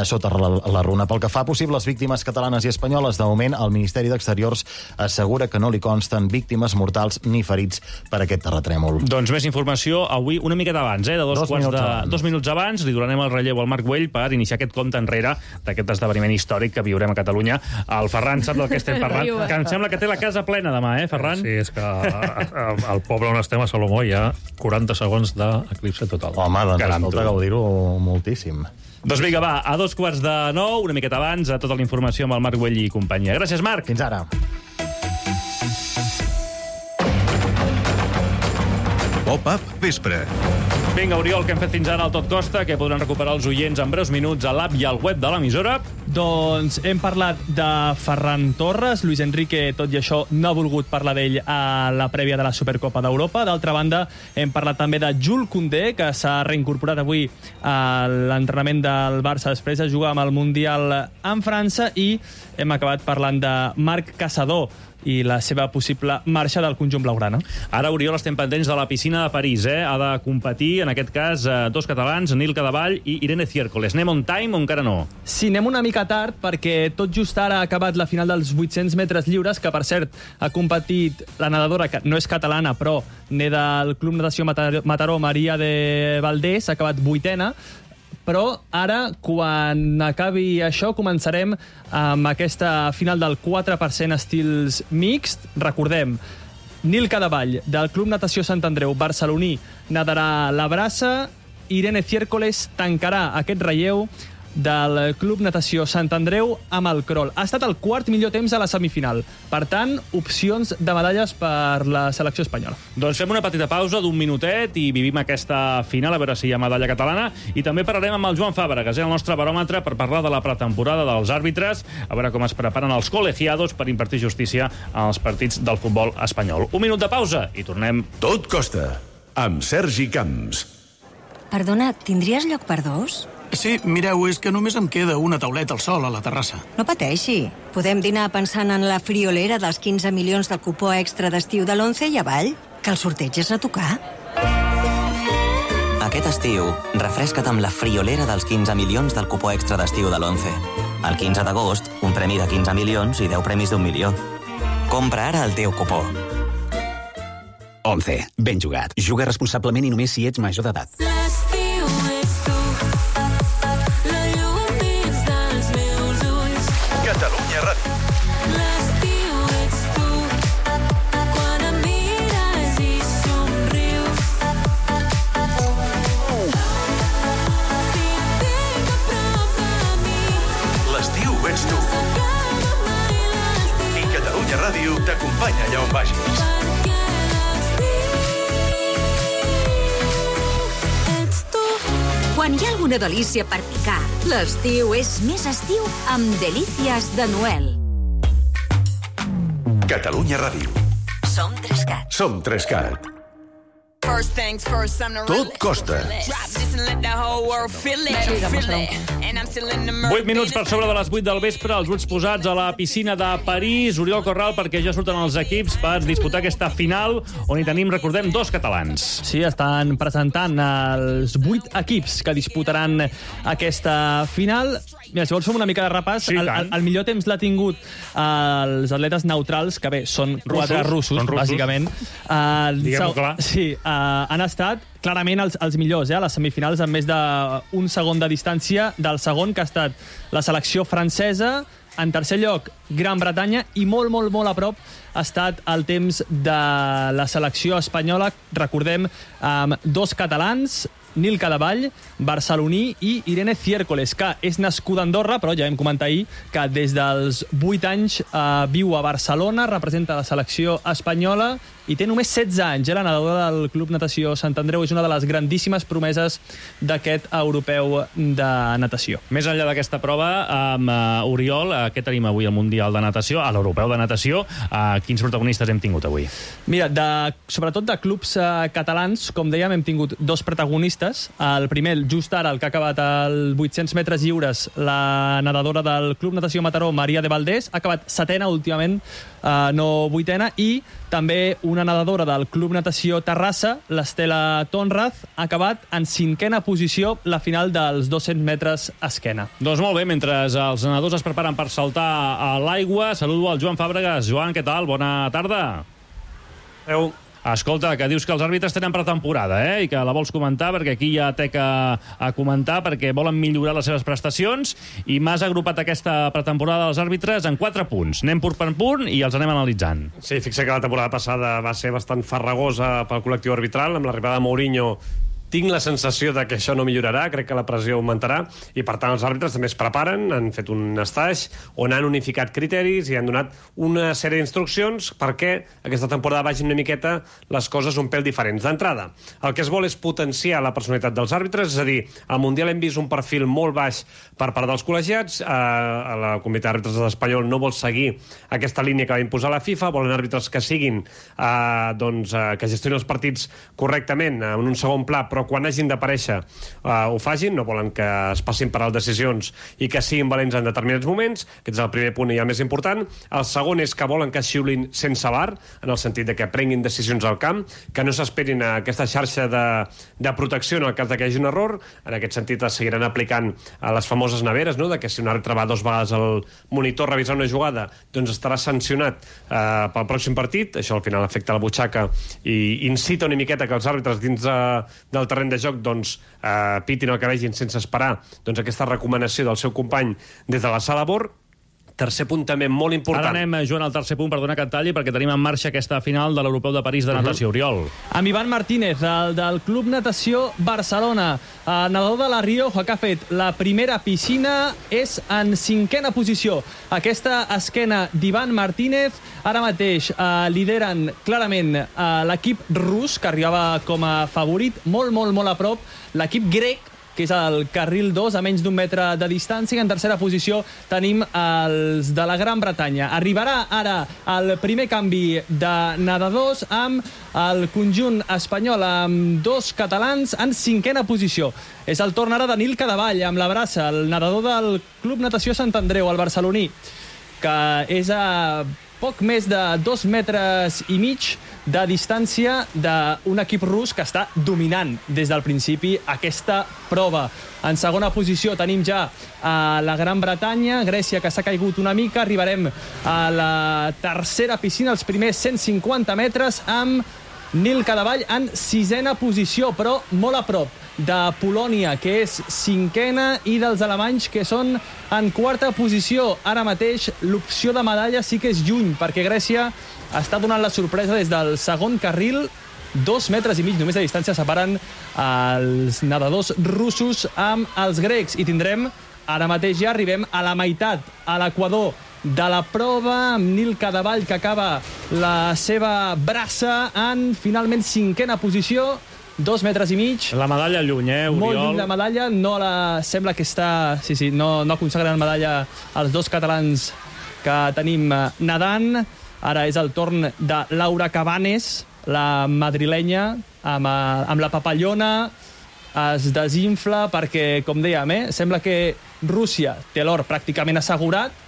sota la runa. Pel que fa a possibles víctimes catalanes i espanyoles, de moment el Ministeri d'Exteriors assegura que no li consten víctimes mortals ni ferits per aquest terratrèmol.
Doncs més informació avui una miqueta abans, de 2 minuts abans, li donarem el relleu al Marc Güell per iniciar aquest compte enrere d'aquest esdeveniment històric que viurem a Catalunya. El Ferran sap del que estem parlant, que em sembla que té la casa plena demà, Ferran?
Sí, és que al poble on estem, a Salomó, hi ha 40 segons d'eclipse total.
Home, doncs escolta, gaudir-ho moltíssim.
Doncs vinga, va, a 8:45, una miqueta abans, a tota la informació amb el Marc Güell i companyia. Gràcies, Marc.
Fins ara.
Pop-up vespre.
Vinga, Oriol, que hem fet fins ara al Tot Costa, que podran recuperar els oients en breus minuts a l'app i al web de l'emissora.
Doncs hem parlat de Ferran Torres. Luis Enrique, tot i això, no ha volgut parlar d'ell a la prèvia de la Supercopa d'Europa. D'altra banda, hem parlat també de Jules Koundé, que s'ha reincorporat avui a l'entrenament del Barça després de jugar amb el Mundial en França, i hem acabat parlant de Marc Caçador i la seva possible marxa del conjunt blaugrana.
Ara, Oriol, estem pendents de la piscina de París. Ha de competir, en aquest cas, dos catalans, Nil Cadevall i Irene Ciércoles. Anem on time o encara no?
Sí, anem una mica tard, perquè tot just ara ha acabat la final dels 800 metres lliures, que, per cert, ha competit la nedadora, que no és catalana, però ne del Club Natació Mataró, Maria de Valdés, ha acabat 8ena, però ara, quan acabi això, començarem amb aquesta final del 4% estils mixt. Recordem, Nil Cadevall, del Club Natació Sant Andreu barceloní, nadarà la braça. Irene Ciércoles tancarà aquest relleu del Club Natació Sant Andreu amb el crawl. Ha estat el quart millor temps a la semifinal. Per tant, opcions de medalles per la selecció espanyola.
Doncs fem una petita pausa d'un minutet i vivim aquesta final, a veure si hi ha medalla catalana. I també parlarem amb el Joan Fàbregas, el nostre baròmetre, per parlar de la pretemporada dels àrbitres, a veure com es preparen els col·legiados per impartir justícia als partits del futbol espanyol. Un minut de pausa i tornem.
Tot Costa, amb Sergi Camps.
Perdona, tindries lloc per dos?
Sí, mireu, és que només em queda una tauleta al sol a la terrassa.
No pateixi. Podem dinar pensant en la friolera dels 15 milions del cupó extra d'estiu de l'11 i avall, que el sorteig és a tocar.
Aquest estiu, refresca't amb la friolera dels 15 milions del cupó extra d'estiu de l'11. El 15 d'agost, un premi de 15 milions i 10 premis d'1 milió. Compra ara el teu cupó.
11. Ben jugat. Juga responsablement i només si ets major d'edat.
Catalunya Ràdio.
L'estiu ets tu, quan em mires i somrius. Si et tinc a prop de mi.
L'estiu ets tu. I Catalunya Ràdio t'acompanya allà on vagis.
Quan hi ha alguna delícia per picar, l'estiu és més estiu amb Delícies de Noel.
Catalunya Ràdio.
Som 3CAT.
Som 3CAT. Tot costa.
8 minuts per sobre de les 8 del vespre, els ulls posats a la piscina de París. Oriol Corral, perquè ja surten els equips per disputar aquesta final, on hi tenim, recordem, 2 catalans.
Sí, estan presentant els 8 equips que disputaran aquesta final. Mira, si vols fer una mica de repàs,
Sí,
el millor temps l'ha tingut els atletes neutrals, que bé, són 4 russos, bàsicament.
Diguem-ho clar.
Sí, han estat clarament els millors, a les semifinals, amb més d'un segon de distància del segon, que ha estat la selecció francesa. En tercer lloc, Gran Bretanya, i molt, molt, molt a prop ha estat el temps de la selecció espanyola. Recordem, 2 catalans, Nil Cadevall, barceloní, i Irene Ciércoles, que és nascuda a Andorra, però ja vam comentar ahir que des dels 8 anys viu a Barcelona, representa la selecció espanyola i té només 16 anys. La nedadora del Club Natació Sant Andreu és una de les grandíssimes promeses d'aquest europeu de natació.
Més enllà d'aquesta prova, Oriol, què tenim avui al Mundial de Natació, a l'Europeu de Natació? Quins protagonistes hem tingut avui?
Mira, sobretot de clubs catalans, com dèiem, hem tingut 2 protagonistes. El primer, just ara, el que ha acabat els 800 metres lliures, la nedadora del Club Natació Mataró, Maria de Valdés, ha acabat 7ena últimament, no 8ena, i també una nedadora del Club Natació Terrassa, l'Estela Tonraz, ha acabat en 5ena posició la final dels 200 metres esquena.
Doncs molt bé, mentre els nedadors es preparen per saltar a l'aigua, saludo al Joan Fàbregas. Joan, què tal? Bona tarda. Escolta, que dius que els àrbitres tenen pretemporada, i que la vols comentar, perquè aquí hi ha teca a comentar, perquè volen millorar les seves prestacions, i m'has agrupat aquesta pretemporada dels àrbitres en 4 punts. Anem punt per punt i els anem analitzant.
Sí, fixa que la temporada passada va ser bastant farragosa pel col·lectiu arbitral. Amb l'arribada de Mourinho tinc la sensació de que això no millorarà, crec que la pressió augmentarà, i per tant els àrbitres també es preparen, han fet un estatge on han unificat criteris i han donat una sèrie d'instruccions perquè aquesta temporada vagin una miqueta les coses un pèl diferents. D'entrada, el que es vol és potenciar la personalitat dels àrbitres, és a dir, al Mundial hem vist un perfil molt baix per part dels col·legiats, la comunitat d'àrbitres espanyol no vol seguir aquesta línia que va imposar la FIFA, volen àrbitres que siguin, que gestionin els partits correctament en un segon pla, però quan hagin d'aparèixer ho facin, no volen que es passin per les decisions i que siguin valents en determinats moments. Aquest és el primer punt i el més important. El segon és que volen que xiulin sense VAR, en el sentit de que prenguin decisions al camp, que no s'esperin a aquesta xarxa de protecció en el cas de que hi hagi un error. En aquest sentit es seguiran aplicant a les famoses neveres, no? De que si un àrbitre va 2 vegades al monitor a revisar una jugada, doncs estarà sancionat pel pròxim partit. Això al final afecta la butxaca i incita una miqueta que els àrbitres dins del terreny de joc pitin el que vegin sense esperar aquesta recomanació del seu company des de la sala BOR. Tercer punt també molt important.
Ara anem, Joan, al tercer punt, perdona que et talli, perquè tenim en marxa aquesta final de l'Europeu de París de natació. Oriol.
Amb Ivan Martínez, el del Club Natació Barcelona. El nedador de la Rioja, que ha fet la primera piscina, és en 5ena posició. Aquesta esquena d'Ivan Martínez ara mateix lideren clarament l'equip rus, que arribava com a favorit, molt, molt, molt a prop. L'equip grec, que és el carril 2, a menys d'1 metre de distància, i en tercera posició tenim els de la Gran Bretanya. Arribarà ara el primer canvi de nedadors amb el conjunt espanyol, amb 2 catalans en 5ena posició. És el torn ara de Nil Cadevall, amb la braça, el nedador del Club Natació Sant Andreu, el barceloní, que és a poc més de 2 metres i mig de distància d'un equip rus que està dominant des del principi aquesta prova. En segona posició tenim ja la Gran Bretanya, Grècia, que s'ha caigut una mica. Arribarem a la tercera piscina, els primers 150 metres, amb Nil Cadevall en 6ena posició, però molt a prop de Polònia, que és 5ena, i dels alemanys, que són en 4a posició. Ara mateix l'opció de medalla sí que és lluny, perquè Grècia està donant la sorpresa des del segon carril. 2 metres i mig només de distància separen els nedadors russos amb els grecs, i tindrem, ara mateix ja arribem a la meitat, a l'equador de la prova, amb Nil Cadevall, que acaba la seva braça en finalment 5ena posició, 2 metres i mig.
La medalla lluny, Oriol?
Molt lluny la medalla, sembla que està... Sí, no consagren medalla els 2 catalans que tenim nedant. Ara és el torn de Laura Cabanes, la madrilenya, amb la papallona, es desinfla perquè, com dèiem, sembla que Rússia té l'or pràcticament assegurat.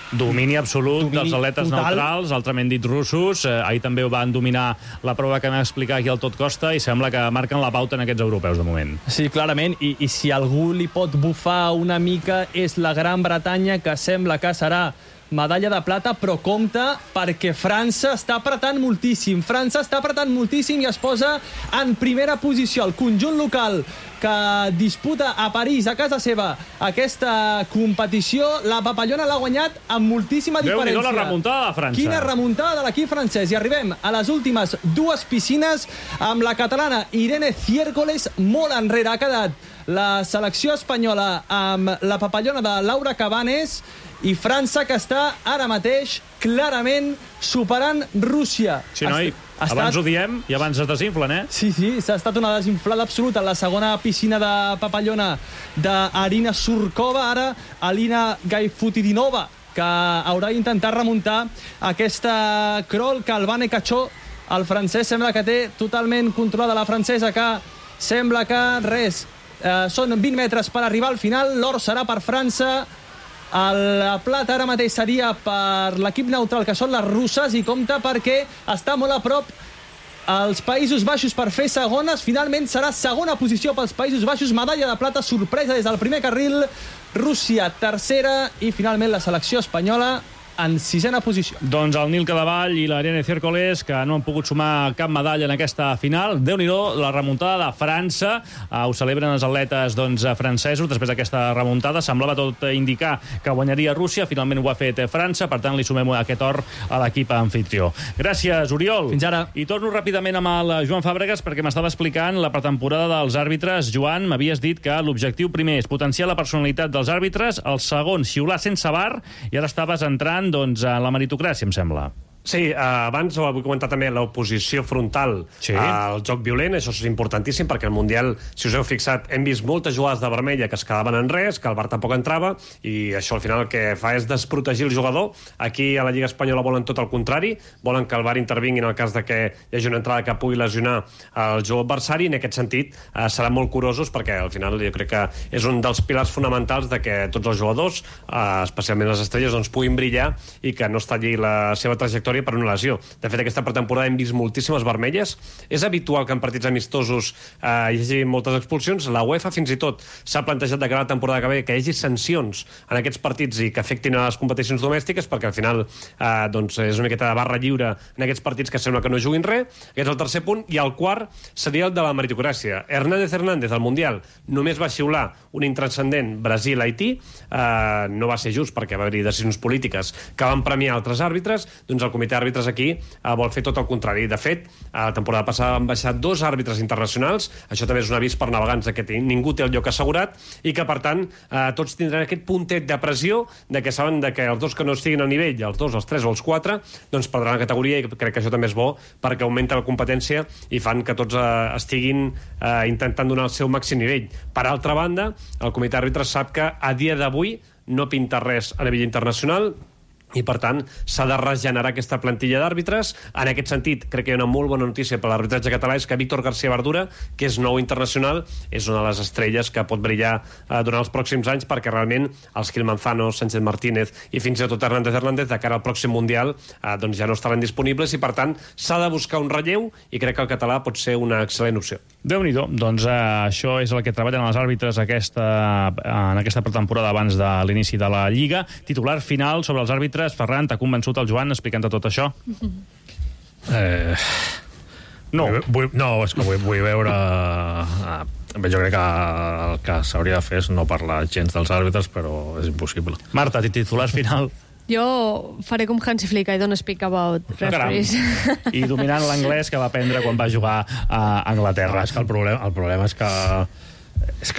Domini absolut dels atletes neutrals, altrament dit russos. Ahir també van dominar la prova que vam explicar aquí al Tot Costa i sembla que marquen la pauta en aquests europeus de moment.
Sí, clarament, i si algú li pot bufar una mica és la Gran Bretanya, que sembla que serà medalla de plata, però compte perquè França està apretant moltíssim. França està apretant moltíssim i es posa en primera posició. El conjunt local que disputa a París, a casa seva, aquesta competició, la papallona l'ha guanyat amb moltíssima diferència.
Déu-n'hi-do la remuntada de França.
Quina remuntada de l'equip francès. I arribem a les últimes dues piscines amb la catalana Irene Ciércoles molt enrere. Ha quedat la selecció espanyola amb la papallona de Laura Cabanes i França, que està ara mateix clarament superant Rússia.
Sí, noi, abans ho diem i abans es desinflen,
Sí, s'ha estat una desinflada absoluta. La segona piscina de papallona d'Arina Surkova, ara Alina Gaifutidinova, que haurà d'intentar remuntar aquesta crawl que el Vane Cachó, el francès, sembla que té totalment controlada. La francesa, que sembla que són 20 metres per arribar al final. L'or serà per França. La plata ara mateix seria per l'equip neutral, que són les russes, i compta perquè està molt a prop els Països Baixos per fer segones. Finalment serà segona posició pels Països Baixos, medalla de plata, sorpresa des del primer carril. Rússia tercera i finalment la selecció espanyola en sisena posició.
Doncs el Nil Cadevall i l'Irene Ciércoles, que no han pogut sumar cap medalla en aquesta final. Déu-n'hi-do, la remuntada de França. Ho celebren els atletes francesos després d'aquesta remuntada. Semblava tot indicar que guanyaria Rússia. Finalment ho ha fet França. Per tant, li sumem aquest or a l'equip anfitrió. Gràcies, Oriol.
Fins ara.
I torno ràpidament amb el Joan Fàbregas, perquè m'estava explicant la pretemporada dels àrbitres. Joan, m'havies dit que l'objectiu primer és potenciar la personalitat dels àrbitres, el segon, xiular sense VAR, i ara estaves entrant a la meritocràcia, em sembla.
Sí, abans ho vull comentar també, l'oposició frontal al joc violent. Això és importantíssim perquè al Mundial, si us heu fixat, hem vist moltes jugades de vermella que es quedaven en res, que el VAR tampoc entrava, i això al final el que fa és desprotegir el jugador. Aquí a la Lliga Espanyola volen tot el contrari, volen que el VAR intervingui en el cas de que hi hagi una entrada que pugui lesionar el jugador adversari. En aquest sentit seran molt curosos, perquè al final jo crec que és un dels pilars fonamentals de que tots els jugadors, especialment les estrelles, doncs puguin brillar i que no es talli la seva trajectòria per una lesió. De fet, aquesta pretemporada hem vist moltíssimes vermelles. És habitual que en partits amistosos hi hagi moltes expulsions. La UEFA fins i tot s'ha plantejat de cara a la temporada que ve que hi hagi sancions en aquests partits i que afectin a les competicions domèstiques, perquè al final doncs és una miqueta de barra lliure en aquests partits que sembla que no juguin res. Aquest és el tercer punt. I el quart seria el de la meritocràcia. Hernández, al Mundial, només va xiular un intranscendent Brasil-Haití. No va ser just perquè va haver-hi decisions polítiques que van premiar altres àrbitres. Doncs el comitè d'àrbitres aquí vol fer tot el contrari. De fet, a la temporada passada van baixar 2 àrbitres internacionals. Això també és un avís per navegants que ningú té el lloc assegurat i que, per tant, tots tindran aquest puntet de pressió de que saben que els dos que no estiguin al nivell, els 2, els 3 o els 4, doncs perdran la categoria, i crec que això també és bo perquè augmenta la competència i fan que tots estiguin intentant donar el seu màxim nivell. Per altra banda, el comitè d'àrbitres sap que a dia d'avui no pinta res a nivell internacional i, per tant, s'ha de regenerar aquesta plantilla d'àrbitres. En aquest sentit, crec que hi ha una molt bona notícia per l'arbitratge català, és que Víctor García Verdura, que és nou internacional, és una de les estrelles que pot brillar durant els pròxims anys, perquè realment els Gil Manzano, Sánchez Martínez i fins i tot Hernández de cara al pròxim Mundial doncs ja no estaran disponibles i, per tant, s'ha de buscar un relleu i crec que el català pot ser una excel·lent opció.
Déu-n'hi-do. Doncs això és el que treballen els àrbitres en aquesta pretemporada abans de l'inici de la Lliga. Titular final sobre els àrbitres. Ferran, t'ha convençut el Joan explicant tot això?
No. És que vull veure... Jo crec que el que s'hauria de fer és no parlar gens dels àrbitres, però és impossible.
Marta, titular final.
Jo faré com Hansi Flick, I don't speak about referees.
I dominant l'anglès que va aprendre quan va jugar a Anglaterra.
És que el problema és que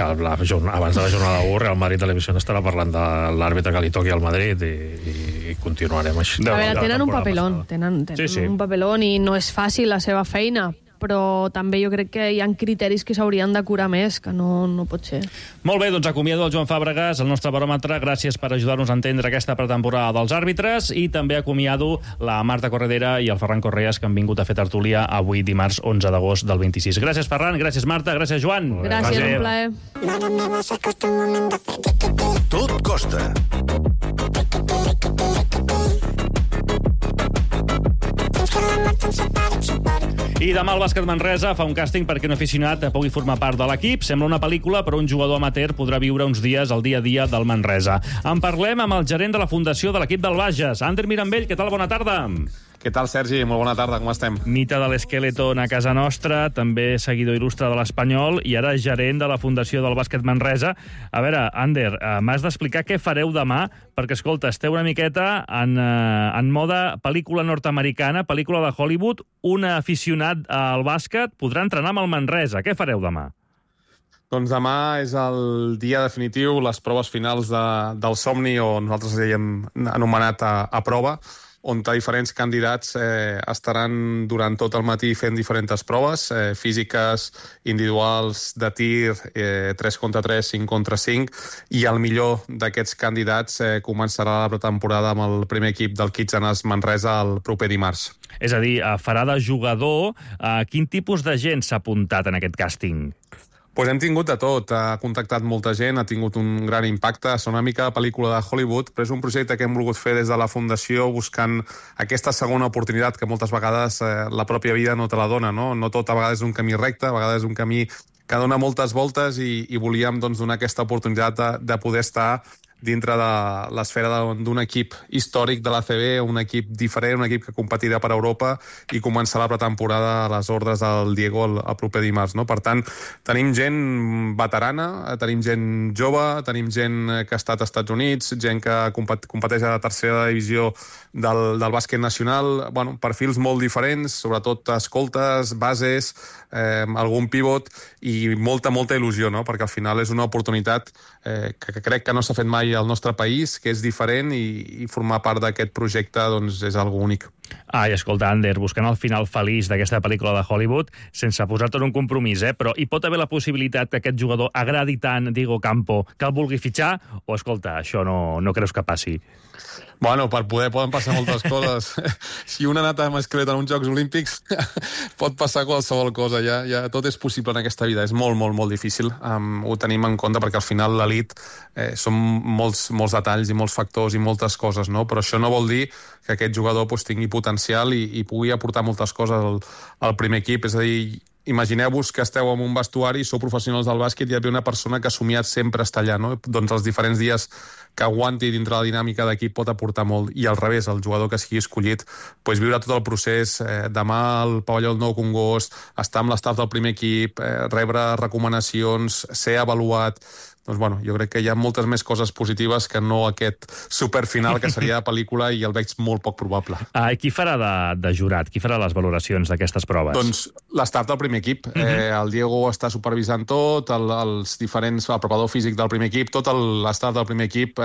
abans de la jornada 1 Real Madrid Televisió estarà parlant de l'àrbitre que li toqui al Madrid i continuarem així.
A veure, tenen un papelón, tenen un papelón i no és fàcil la seva feina, però també jo crec que hi ha criteris que s'haurien d'acurar més, que no pot ser.
Molt bé, doncs acomiado el Joan Fàbregas, el nostre baròmetre. Gràcies per ajudar-nos a entendre aquesta pretemporada dels àrbitres, i també acomiado la Marta Corredera i el Ferran Correas, que han vingut a fer tertúlia avui dimarts 11 d'agost del 26. Gràcies, Ferran, gràcies, Marta, gràcies, Joan.
Gràcies, un plaer.
Tot costa.
I demà el Bàsquet Manresa fa un càsting perquè un aficionat pugui formar part de l'equip. Sembla una pel·lícula, però un jugador amateur podrà viure uns dies al dia a dia del Manresa. En parlem amb el gerent de la fundació de l'equip del Bages, Ander Mirambell. Què tal? Bona tarda.
Què tal, Sergi? Molt bona tarda, com estem?
Mite de l'Skeleton a casa nostra, també seguidor il·lustre de l'Espanyol i ara gerent de la fundació del Bàsquet Manresa. A veure, Ander, m'has d'explicar què fareu demà, perquè, escolta, esteu una miqueta en moda pel·lícula nord-americana, pel·lícula de Hollywood. Un aficionat al bàsquet podrà entrenar amb el Manresa. Què fareu demà?
Doncs demà és el dia definitiu, les proves finals del somni, o nosaltres hem anomenat a prova, on diferents candidats estaran durant tot el matí fent diferents proves, físiques, individuals, de tir, 3 contra 3, 5 contra 5, i el millor d'aquests candidats començarà la pretemporada amb el primer equip del Kitsanes Manresa el proper dimarts.
És a dir, farà de jugador. Quin tipus de gent s'ha apuntat en aquest càsting?
Pues hem tingut de tot, ha contactat molta gent, ha tingut un gran impacte, és una mica pel·lícula de Hollywood, però és un projecte que hem volgut fer des de la Fundació buscant aquesta segona oportunitat que moltes vegades la pròpia vida no te la dona, no? No tot a vegades és un camí recte, a vegades és un camí que dona moltes voltes i volíem doncs, donar aquesta oportunitat de poder estar dintre de l'esfera d'un equip històric de l'ACB, un equip diferent, un equip que competirà per Europa i començar la pretemporada a les ordres del Diego el proper dimarts. No? Per tant, tenim gent veterana, tenim gent jove, tenim gent que ha estat als Estats Units, gent que competeix a la tercera divisió del bàsquet nacional, bueno, perfils molt diferents, sobretot escoltes, bases, algun pivot i molta il·lusió, no? Perquè al final és una oportunitat que crec que no s'ha fet mai al nostre país, que és diferent i formar part d'aquest projecte doncs, és algo únic.
Ai, escolta, Ander, buscant el final feliç d'aquesta pel·lícula de Hollywood, sense posar-te en un compromís, però hi pot haver la possibilitat que aquest jugador agradi tant Diego Campo que el vulgui fitxar, o, escolta, això no creus que passi?
Bueno, per poder poden passar moltes coses. Si un ha anat amb esquelet en uns Jocs Olímpics, pot passar qualsevol cosa. Ja tot és possible en aquesta vida. És molt difícil. Ho tenim en compte perquè al final l'elit són molts detalls i molts factors i moltes coses, no? Però això no vol dir que aquest jugador tingui potencial i pugui aportar moltes coses al primer equip. És a dir, imagineu-vos que esteu en un vestuari, sou professionals del bàsquet i hi ha una persona que ha somiat sempre estar allà, no? Doncs els diferents dies que aguanti dintre la dinàmica d'equip pot aportar molt. I al revés, el jugador que sigui escollit, doncs viure tot el procés, demà al pavelló del Nou Congost, estar amb l'estaf del primer equip, rebre recomanacions, ser avaluat. Doncs bueno, jo crec que hi ha moltes més coses positives que no aquest superfinal que seria de pel·lícula i el veig molt poc probable.
Qui farà de jurat? Qui farà les valoracions d'aquestes proves?
Doncs l'estaf del primer equip. El Diego està supervisant tot, el preparador físic del primer equip, tot l'estaf del primer equip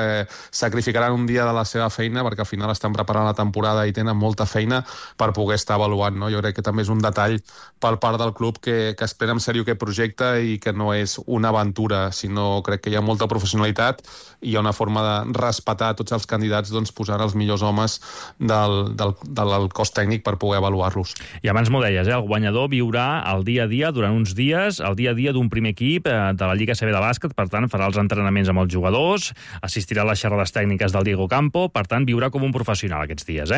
sacrificaran un dia de la seva feina perquè al final estan preparant la temporada i tenen molta feina per poder estar avaluant. No? Jo crec que també és un detall per part del club que es pren en sèrio aquest projecte i que no és una aventura, sinó crec que hi ha molta professionalitat i hi ha una forma de respetar tots els candidats doncs, posant els millors homes del cos tècnic per poder avaluar-los.
I abans m'ho deies, el guanyador viurà el dia a dia, durant uns dies, el dia a dia d'un primer equip de la Lliga CB de bàsquet, per tant, farà els entrenaments amb els jugadors, assistirà a les xerrades tècniques del Diego Campo, per tant, viurà com un professional aquests dies,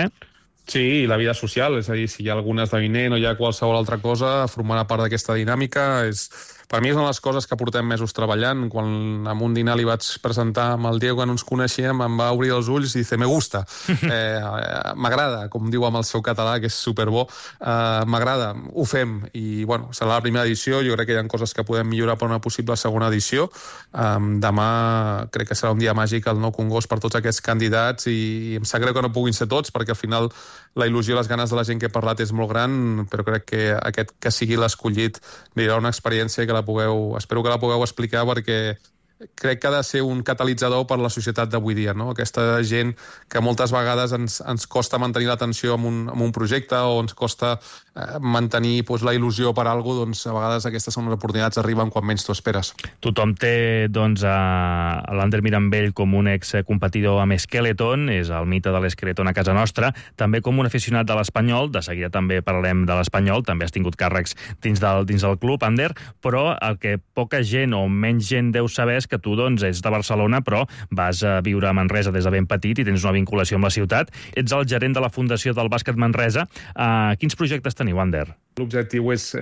Sí, i la vida social, és a dir, si hi ha algun esdeveniment o hi ha qualsevol altra cosa, formarà part d'aquesta dinàmica. Per mi és una de les coses que portem mesos treballant. Quan en un dinar li vaig presentar amb el Diego, que no ens coneixíem, em va obrir els ulls i dice, me gusta. M'agrada, com diu amb el seu català, que és superbo. M'agrada, ho fem. I, bueno, serà la primera edició. Jo crec que hi ha coses que podem millorar per una possible segona edició. Demà crec que serà un dia màgic al Nou Congost per tots aquests candidats i em sap greu que no puguin ser tots, perquè al final la il·lusió i les ganes de la gent que he parlat és molt gran, però crec que aquest que sigui l'escollit viurà una experiència que espero que la pugueu explicar, perquè crec que ha de ser un catalitzador per la societat d'avui dia, no? Aquesta gent que moltes vegades ens costa mantenir l'atenció en un projecte o ens costa mantenir la il·lusió per alguna cosa, doncs a vegades aquestes són les oportunitats arriben quan menys t'ho esperes.
Tothom té doncs, l'Ander Mirambell com un excompetidor amb Skeleton, és el mite de l'Skeleton a casa nostra, també com un aficionat de l'Espanyol, de seguida també parlarem de l'Espanyol, també has tingut càrrecs dins del club, Ander, però el que poca gent o menys gent deu saber és que tu doncs, ets de Barcelona, però vas a viure a Manresa des de ben petit i tens una vinculació amb la ciutat. Ets el gerent de la Fundació del Bàsquet Manresa. Quins projectes teniu, Ander?
L'objectiu és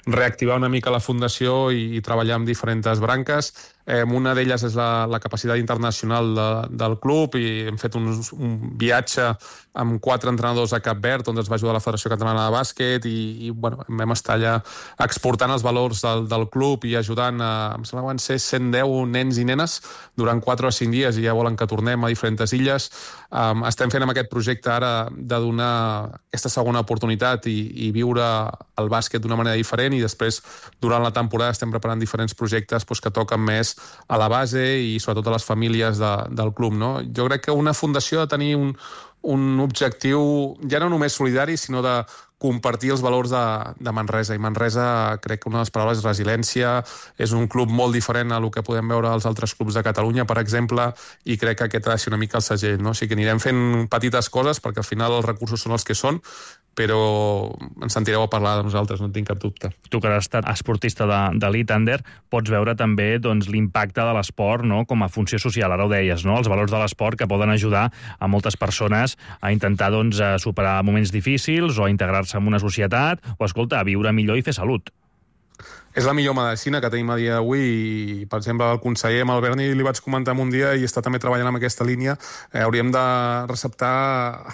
reactivar una mica la Fundació i treballar amb diferents branques. Una d'elles és la capacitat internacional del club i hem fet un viatge amb 4 entrenadors a Cap Verd on ens va ajudar la Federació Catalana de Bàsquet i vam estar allà exportant els valors del club i ajudant em sembla que van ser 110 nens i nenes durant 4 o 5 dies i ja volen que tornem a diferents illes. Estem fent amb aquest projecte ara de donar aquesta segona oportunitat i viure el bàsquet d'una manera diferent i després durant la temporada estem preparant diferents projectes que toquen més a la base i sobretot a les famílies del club, no? Jo crec que una fundació ha de tenir un objectiu ja no només solidari, sinó de compartir els valors de Manresa. I Manresa, crec que una de les paraules és resiliència, és un club molt diferent a el que podem veure als altres clubs de Catalunya, per exemple, i crec que aquest ha de ser una mica el segell, no? O sigui que anirem fent petites coses, perquè al final els recursos són els que són, però ens sentireu a parlar de nosaltres, no en tinc cap dubte.
Tu que has estat esportista d'elit, Ander, pots veure també l'impacte de l'esport, no?, com a funció social, ara ho deies, no?, els valors de l'esport que poden ajudar a moltes persones a intentar a superar moments difícils o a integrar-se en una societat o, escolta, a viure millor i fer salut.
És la millor medicina que tenim a dia d'avui i, per exemple, el conseller amb el Berni li vaig comentar un dia i està també treballant en aquesta línia. Hauríem de receptar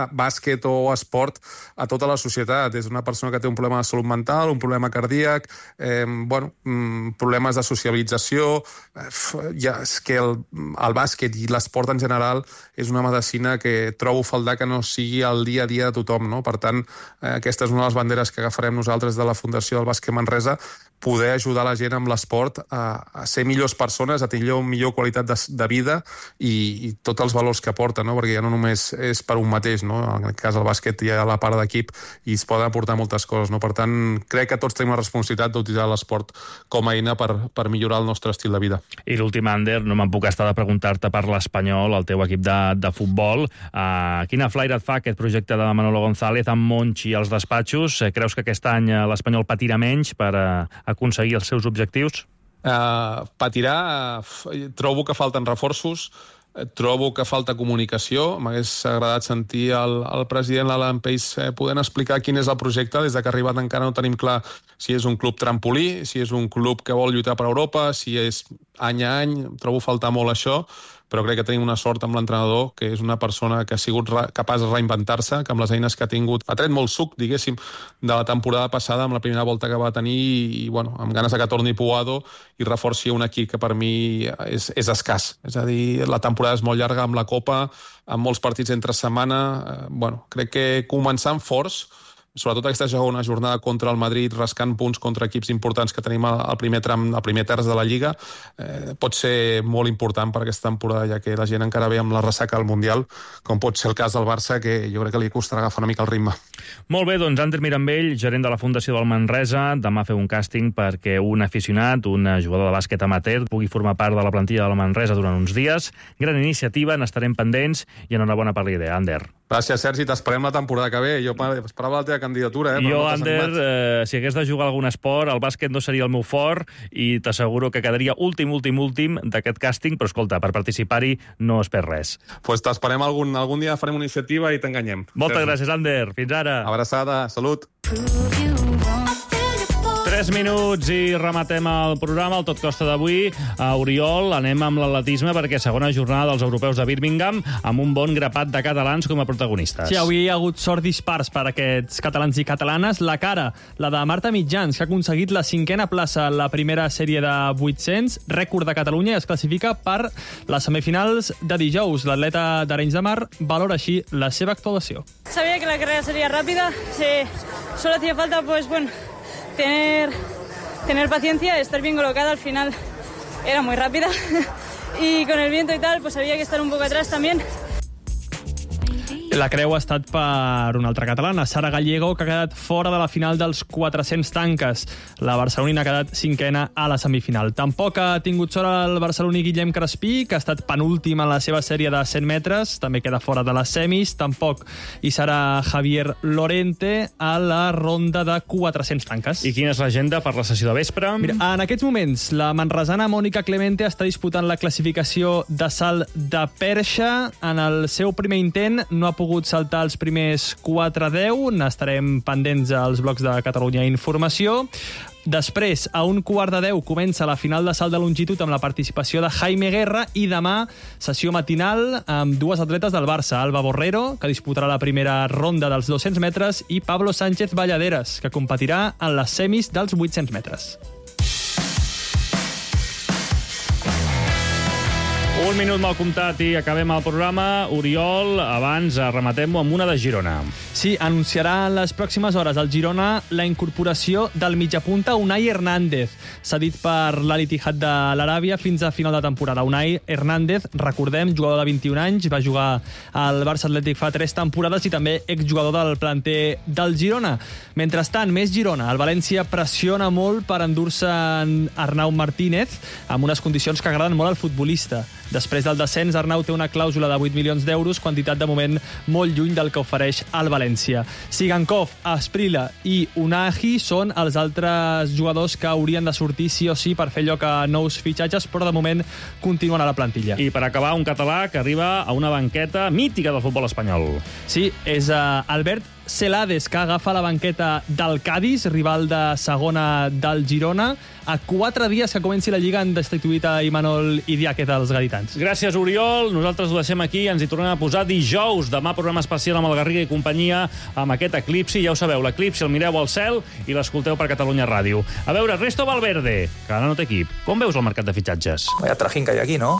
bàsquet o esport a tota la societat. És una persona que té un problema de salut mental, un problema cardíac, problemes de socialització. És que el bàsquet i l'esport en general és una medicina que trobo faltar que no sigui el dia a dia de tothom, no? Per tant, aquesta és una de les banderes que agafarem nosaltres de la Fundació del Bàsquet Manresa, poder ajudar la gent amb l'esport a ser millors persones, a tenir millor qualitat de vida i tots els valors que aporta, no? Perquè ja no només és per un mateix, no? En aquest cas el bàsquet hi ha la part d'equip i es poden aportar moltes coses, no? Per tant, crec que tots tenim la responsabilitat d'utilitzar l'esport com a eina per millorar el nostre estil de vida.
I l'últim, Ander, no me'n puc estar de preguntar-te per l'Espanyol, el teu equip de futbol. Quina flaire et fa aquest projecte de Manolo González amb Monchi als despatxos? Creus que aquest any l'Espanyol patirà menys per aconseguir els seus objectius?
Patirà. Trobo que falten reforços, trobo que falta comunicació. M'hagués agradat sentir el president Alan Pace podent explicar quin és el projecte. Des que ha arribat encara no tenim clar si és un club trampolí, si és un club que vol lluitar per Europa, si és any a any. Trobo faltar molt això, però crec que tenim una sort amb l'entrenador, que és una persona que ha sigut capaç de reinventar-se, que amb les eines que ha tingut ha tret molt suc, diguéssim, de la temporada passada, amb la primera volta que va tenir, i amb ganes de que torni Puado i reforci un equip que per mi és escàs. És a dir, la temporada és molt llarga amb la Copa, amb molts partits entre setmana. Crec que començant forts, sobretot aquesta segona jornada contra el Madrid, rascant punts contra equips importants que tenim al primer tram, al primer terç de la Lliga, pot ser molt important per aquesta temporada, ja que la gent encara ve amb la ressaca del Mundial, com pot ser el cas del Barça, que jo crec que li costarà agafar una mica el ritme.
Molt bé, doncs Ander Mirambell, gerent de la Fundació del Manresa, demà feu un càsting perquè un aficionat, un jugador de bàsquet amateur, pugui formar part de la plantilla del Manresa durant uns dies. Gran iniciativa, n'estarem pendents i enhorabona per la idea, Ander.
Gràcies, Sergi, t'esperem la temporada que ve. Jo esperava la teva candidatura.
Jo, Ander, si hagués de jugar algun esport, el bàsquet no seria el meu fort i t'asseguro que quedaria últim d'aquest càsting, però escolta, per participar-hi no es perd res.
Doncs t'esperem algun dia, farem una iniciativa i t'enganyem.
Moltes gràcies, Ander. Fins ara.
Abraçada, salut.
3 minuts i rematem el programa, el Tot Costa d'avui. A Oriol anem amb l'atletisme perquè segona jornada dels europeus de Birmingham amb un bon grapat de catalans com a protagonistes.
Sí, avui hi ha hagut sort dispars per aquests catalans i catalanes. La cara, la de Marta Mitjans, que ha aconseguit la 5a plaça en la primera sèrie de 800, rècord de Catalunya, i es classifica per les semifinals de dijous. L'atleta d'Arenys de Mar valora així la seva actuació.
Sabía que la carrera sería rápida, solo hacía falta tener paciencia, estar bien colocada. Al final era muy rápida y con el viento y tal, pues había que estar un poco atrás también.
La creu ha estat per una altra catalana, Sara Gallego, que ha quedat fora de la final dels 400 tanques. La barcelonina ha quedat cinquena a la semifinal. Tampoc ha tingut sort el barceloní Guillem Crespí, que ha estat penúltim en la seva sèrie de 100 metres, també queda fora de les semis. Tampoc hi serà Javier Lorente a la ronda de 400 tanques.
I quina és l'agenda per la sessió de vespre?
Mira, en aquests moments, la manresana Mònica Clemente està disputant la classificació de salt de perxa. En el seu primer intent no ha pogut saltar els primers 4-10. N'estarem pendents als blocs de Catalunya Informació. Després, a 9:45, comença la final de salt de longitud amb la participació de Jaime Guerra i demà sessió matinal amb dues atletes del Barça, Alba Borrero, que disputarà la primera ronda dels 200 metres, i Pablo Sánchez Valladeras, que competirà en les semis dels 800 metres.
Un minut mal comptat i acabem el programa. Oriol, abans rematem-ho amb una de Girona.
Sí, anunciarà en les pròximes hores al Girona la incorporació del mitjapunta Unai Hernández, cedit per l'Al-Ittihad de l'Aràbia fins a final de temporada. Unai Hernández, recordem, jugador de 21 anys, va jugar al Barça Atlètic fa 3 temporades i també exjugador del planter del Girona. Mentrestant, més Girona. El València pressiona molt per endur-se en Arnau Martínez amb unes condicions que agraden molt al futbolista. Després del descens, Arnau té una clàusula de 8 milions d'euros, quantitat de moment molt lluny del que ofereix el València. Sigankov, Asprilla i Unai són els altres jugadors que haurien de sortir sí o sí per fer lloc a nous fitxatges, però de moment continuen a la plantilla.
I per acabar, un català que arriba a una banqueta mítica del futbol espanyol.
Sí, és Albert Celades, que agafa la banqueta del Cádiz, rival de segona del Girona. A 4 dies que comenci la Lliga han destituït a Imanol Idiáquez dels gaditans.
Gràcies, Oriol. Nosaltres ho deixem aquí. Ens hi tornem a posar dijous. Demà programa especial amb el Garriga i companyia amb aquest eclipsi. Ja ho sabeu, l'eclipsi el mireu al cel i l'escolteu per Catalunya Ràdio. A veure, Ernesto Valverde, que ara no té equip. Com veus el mercat de fitxatges?
Vaya trajín que hay aquí, ¿no?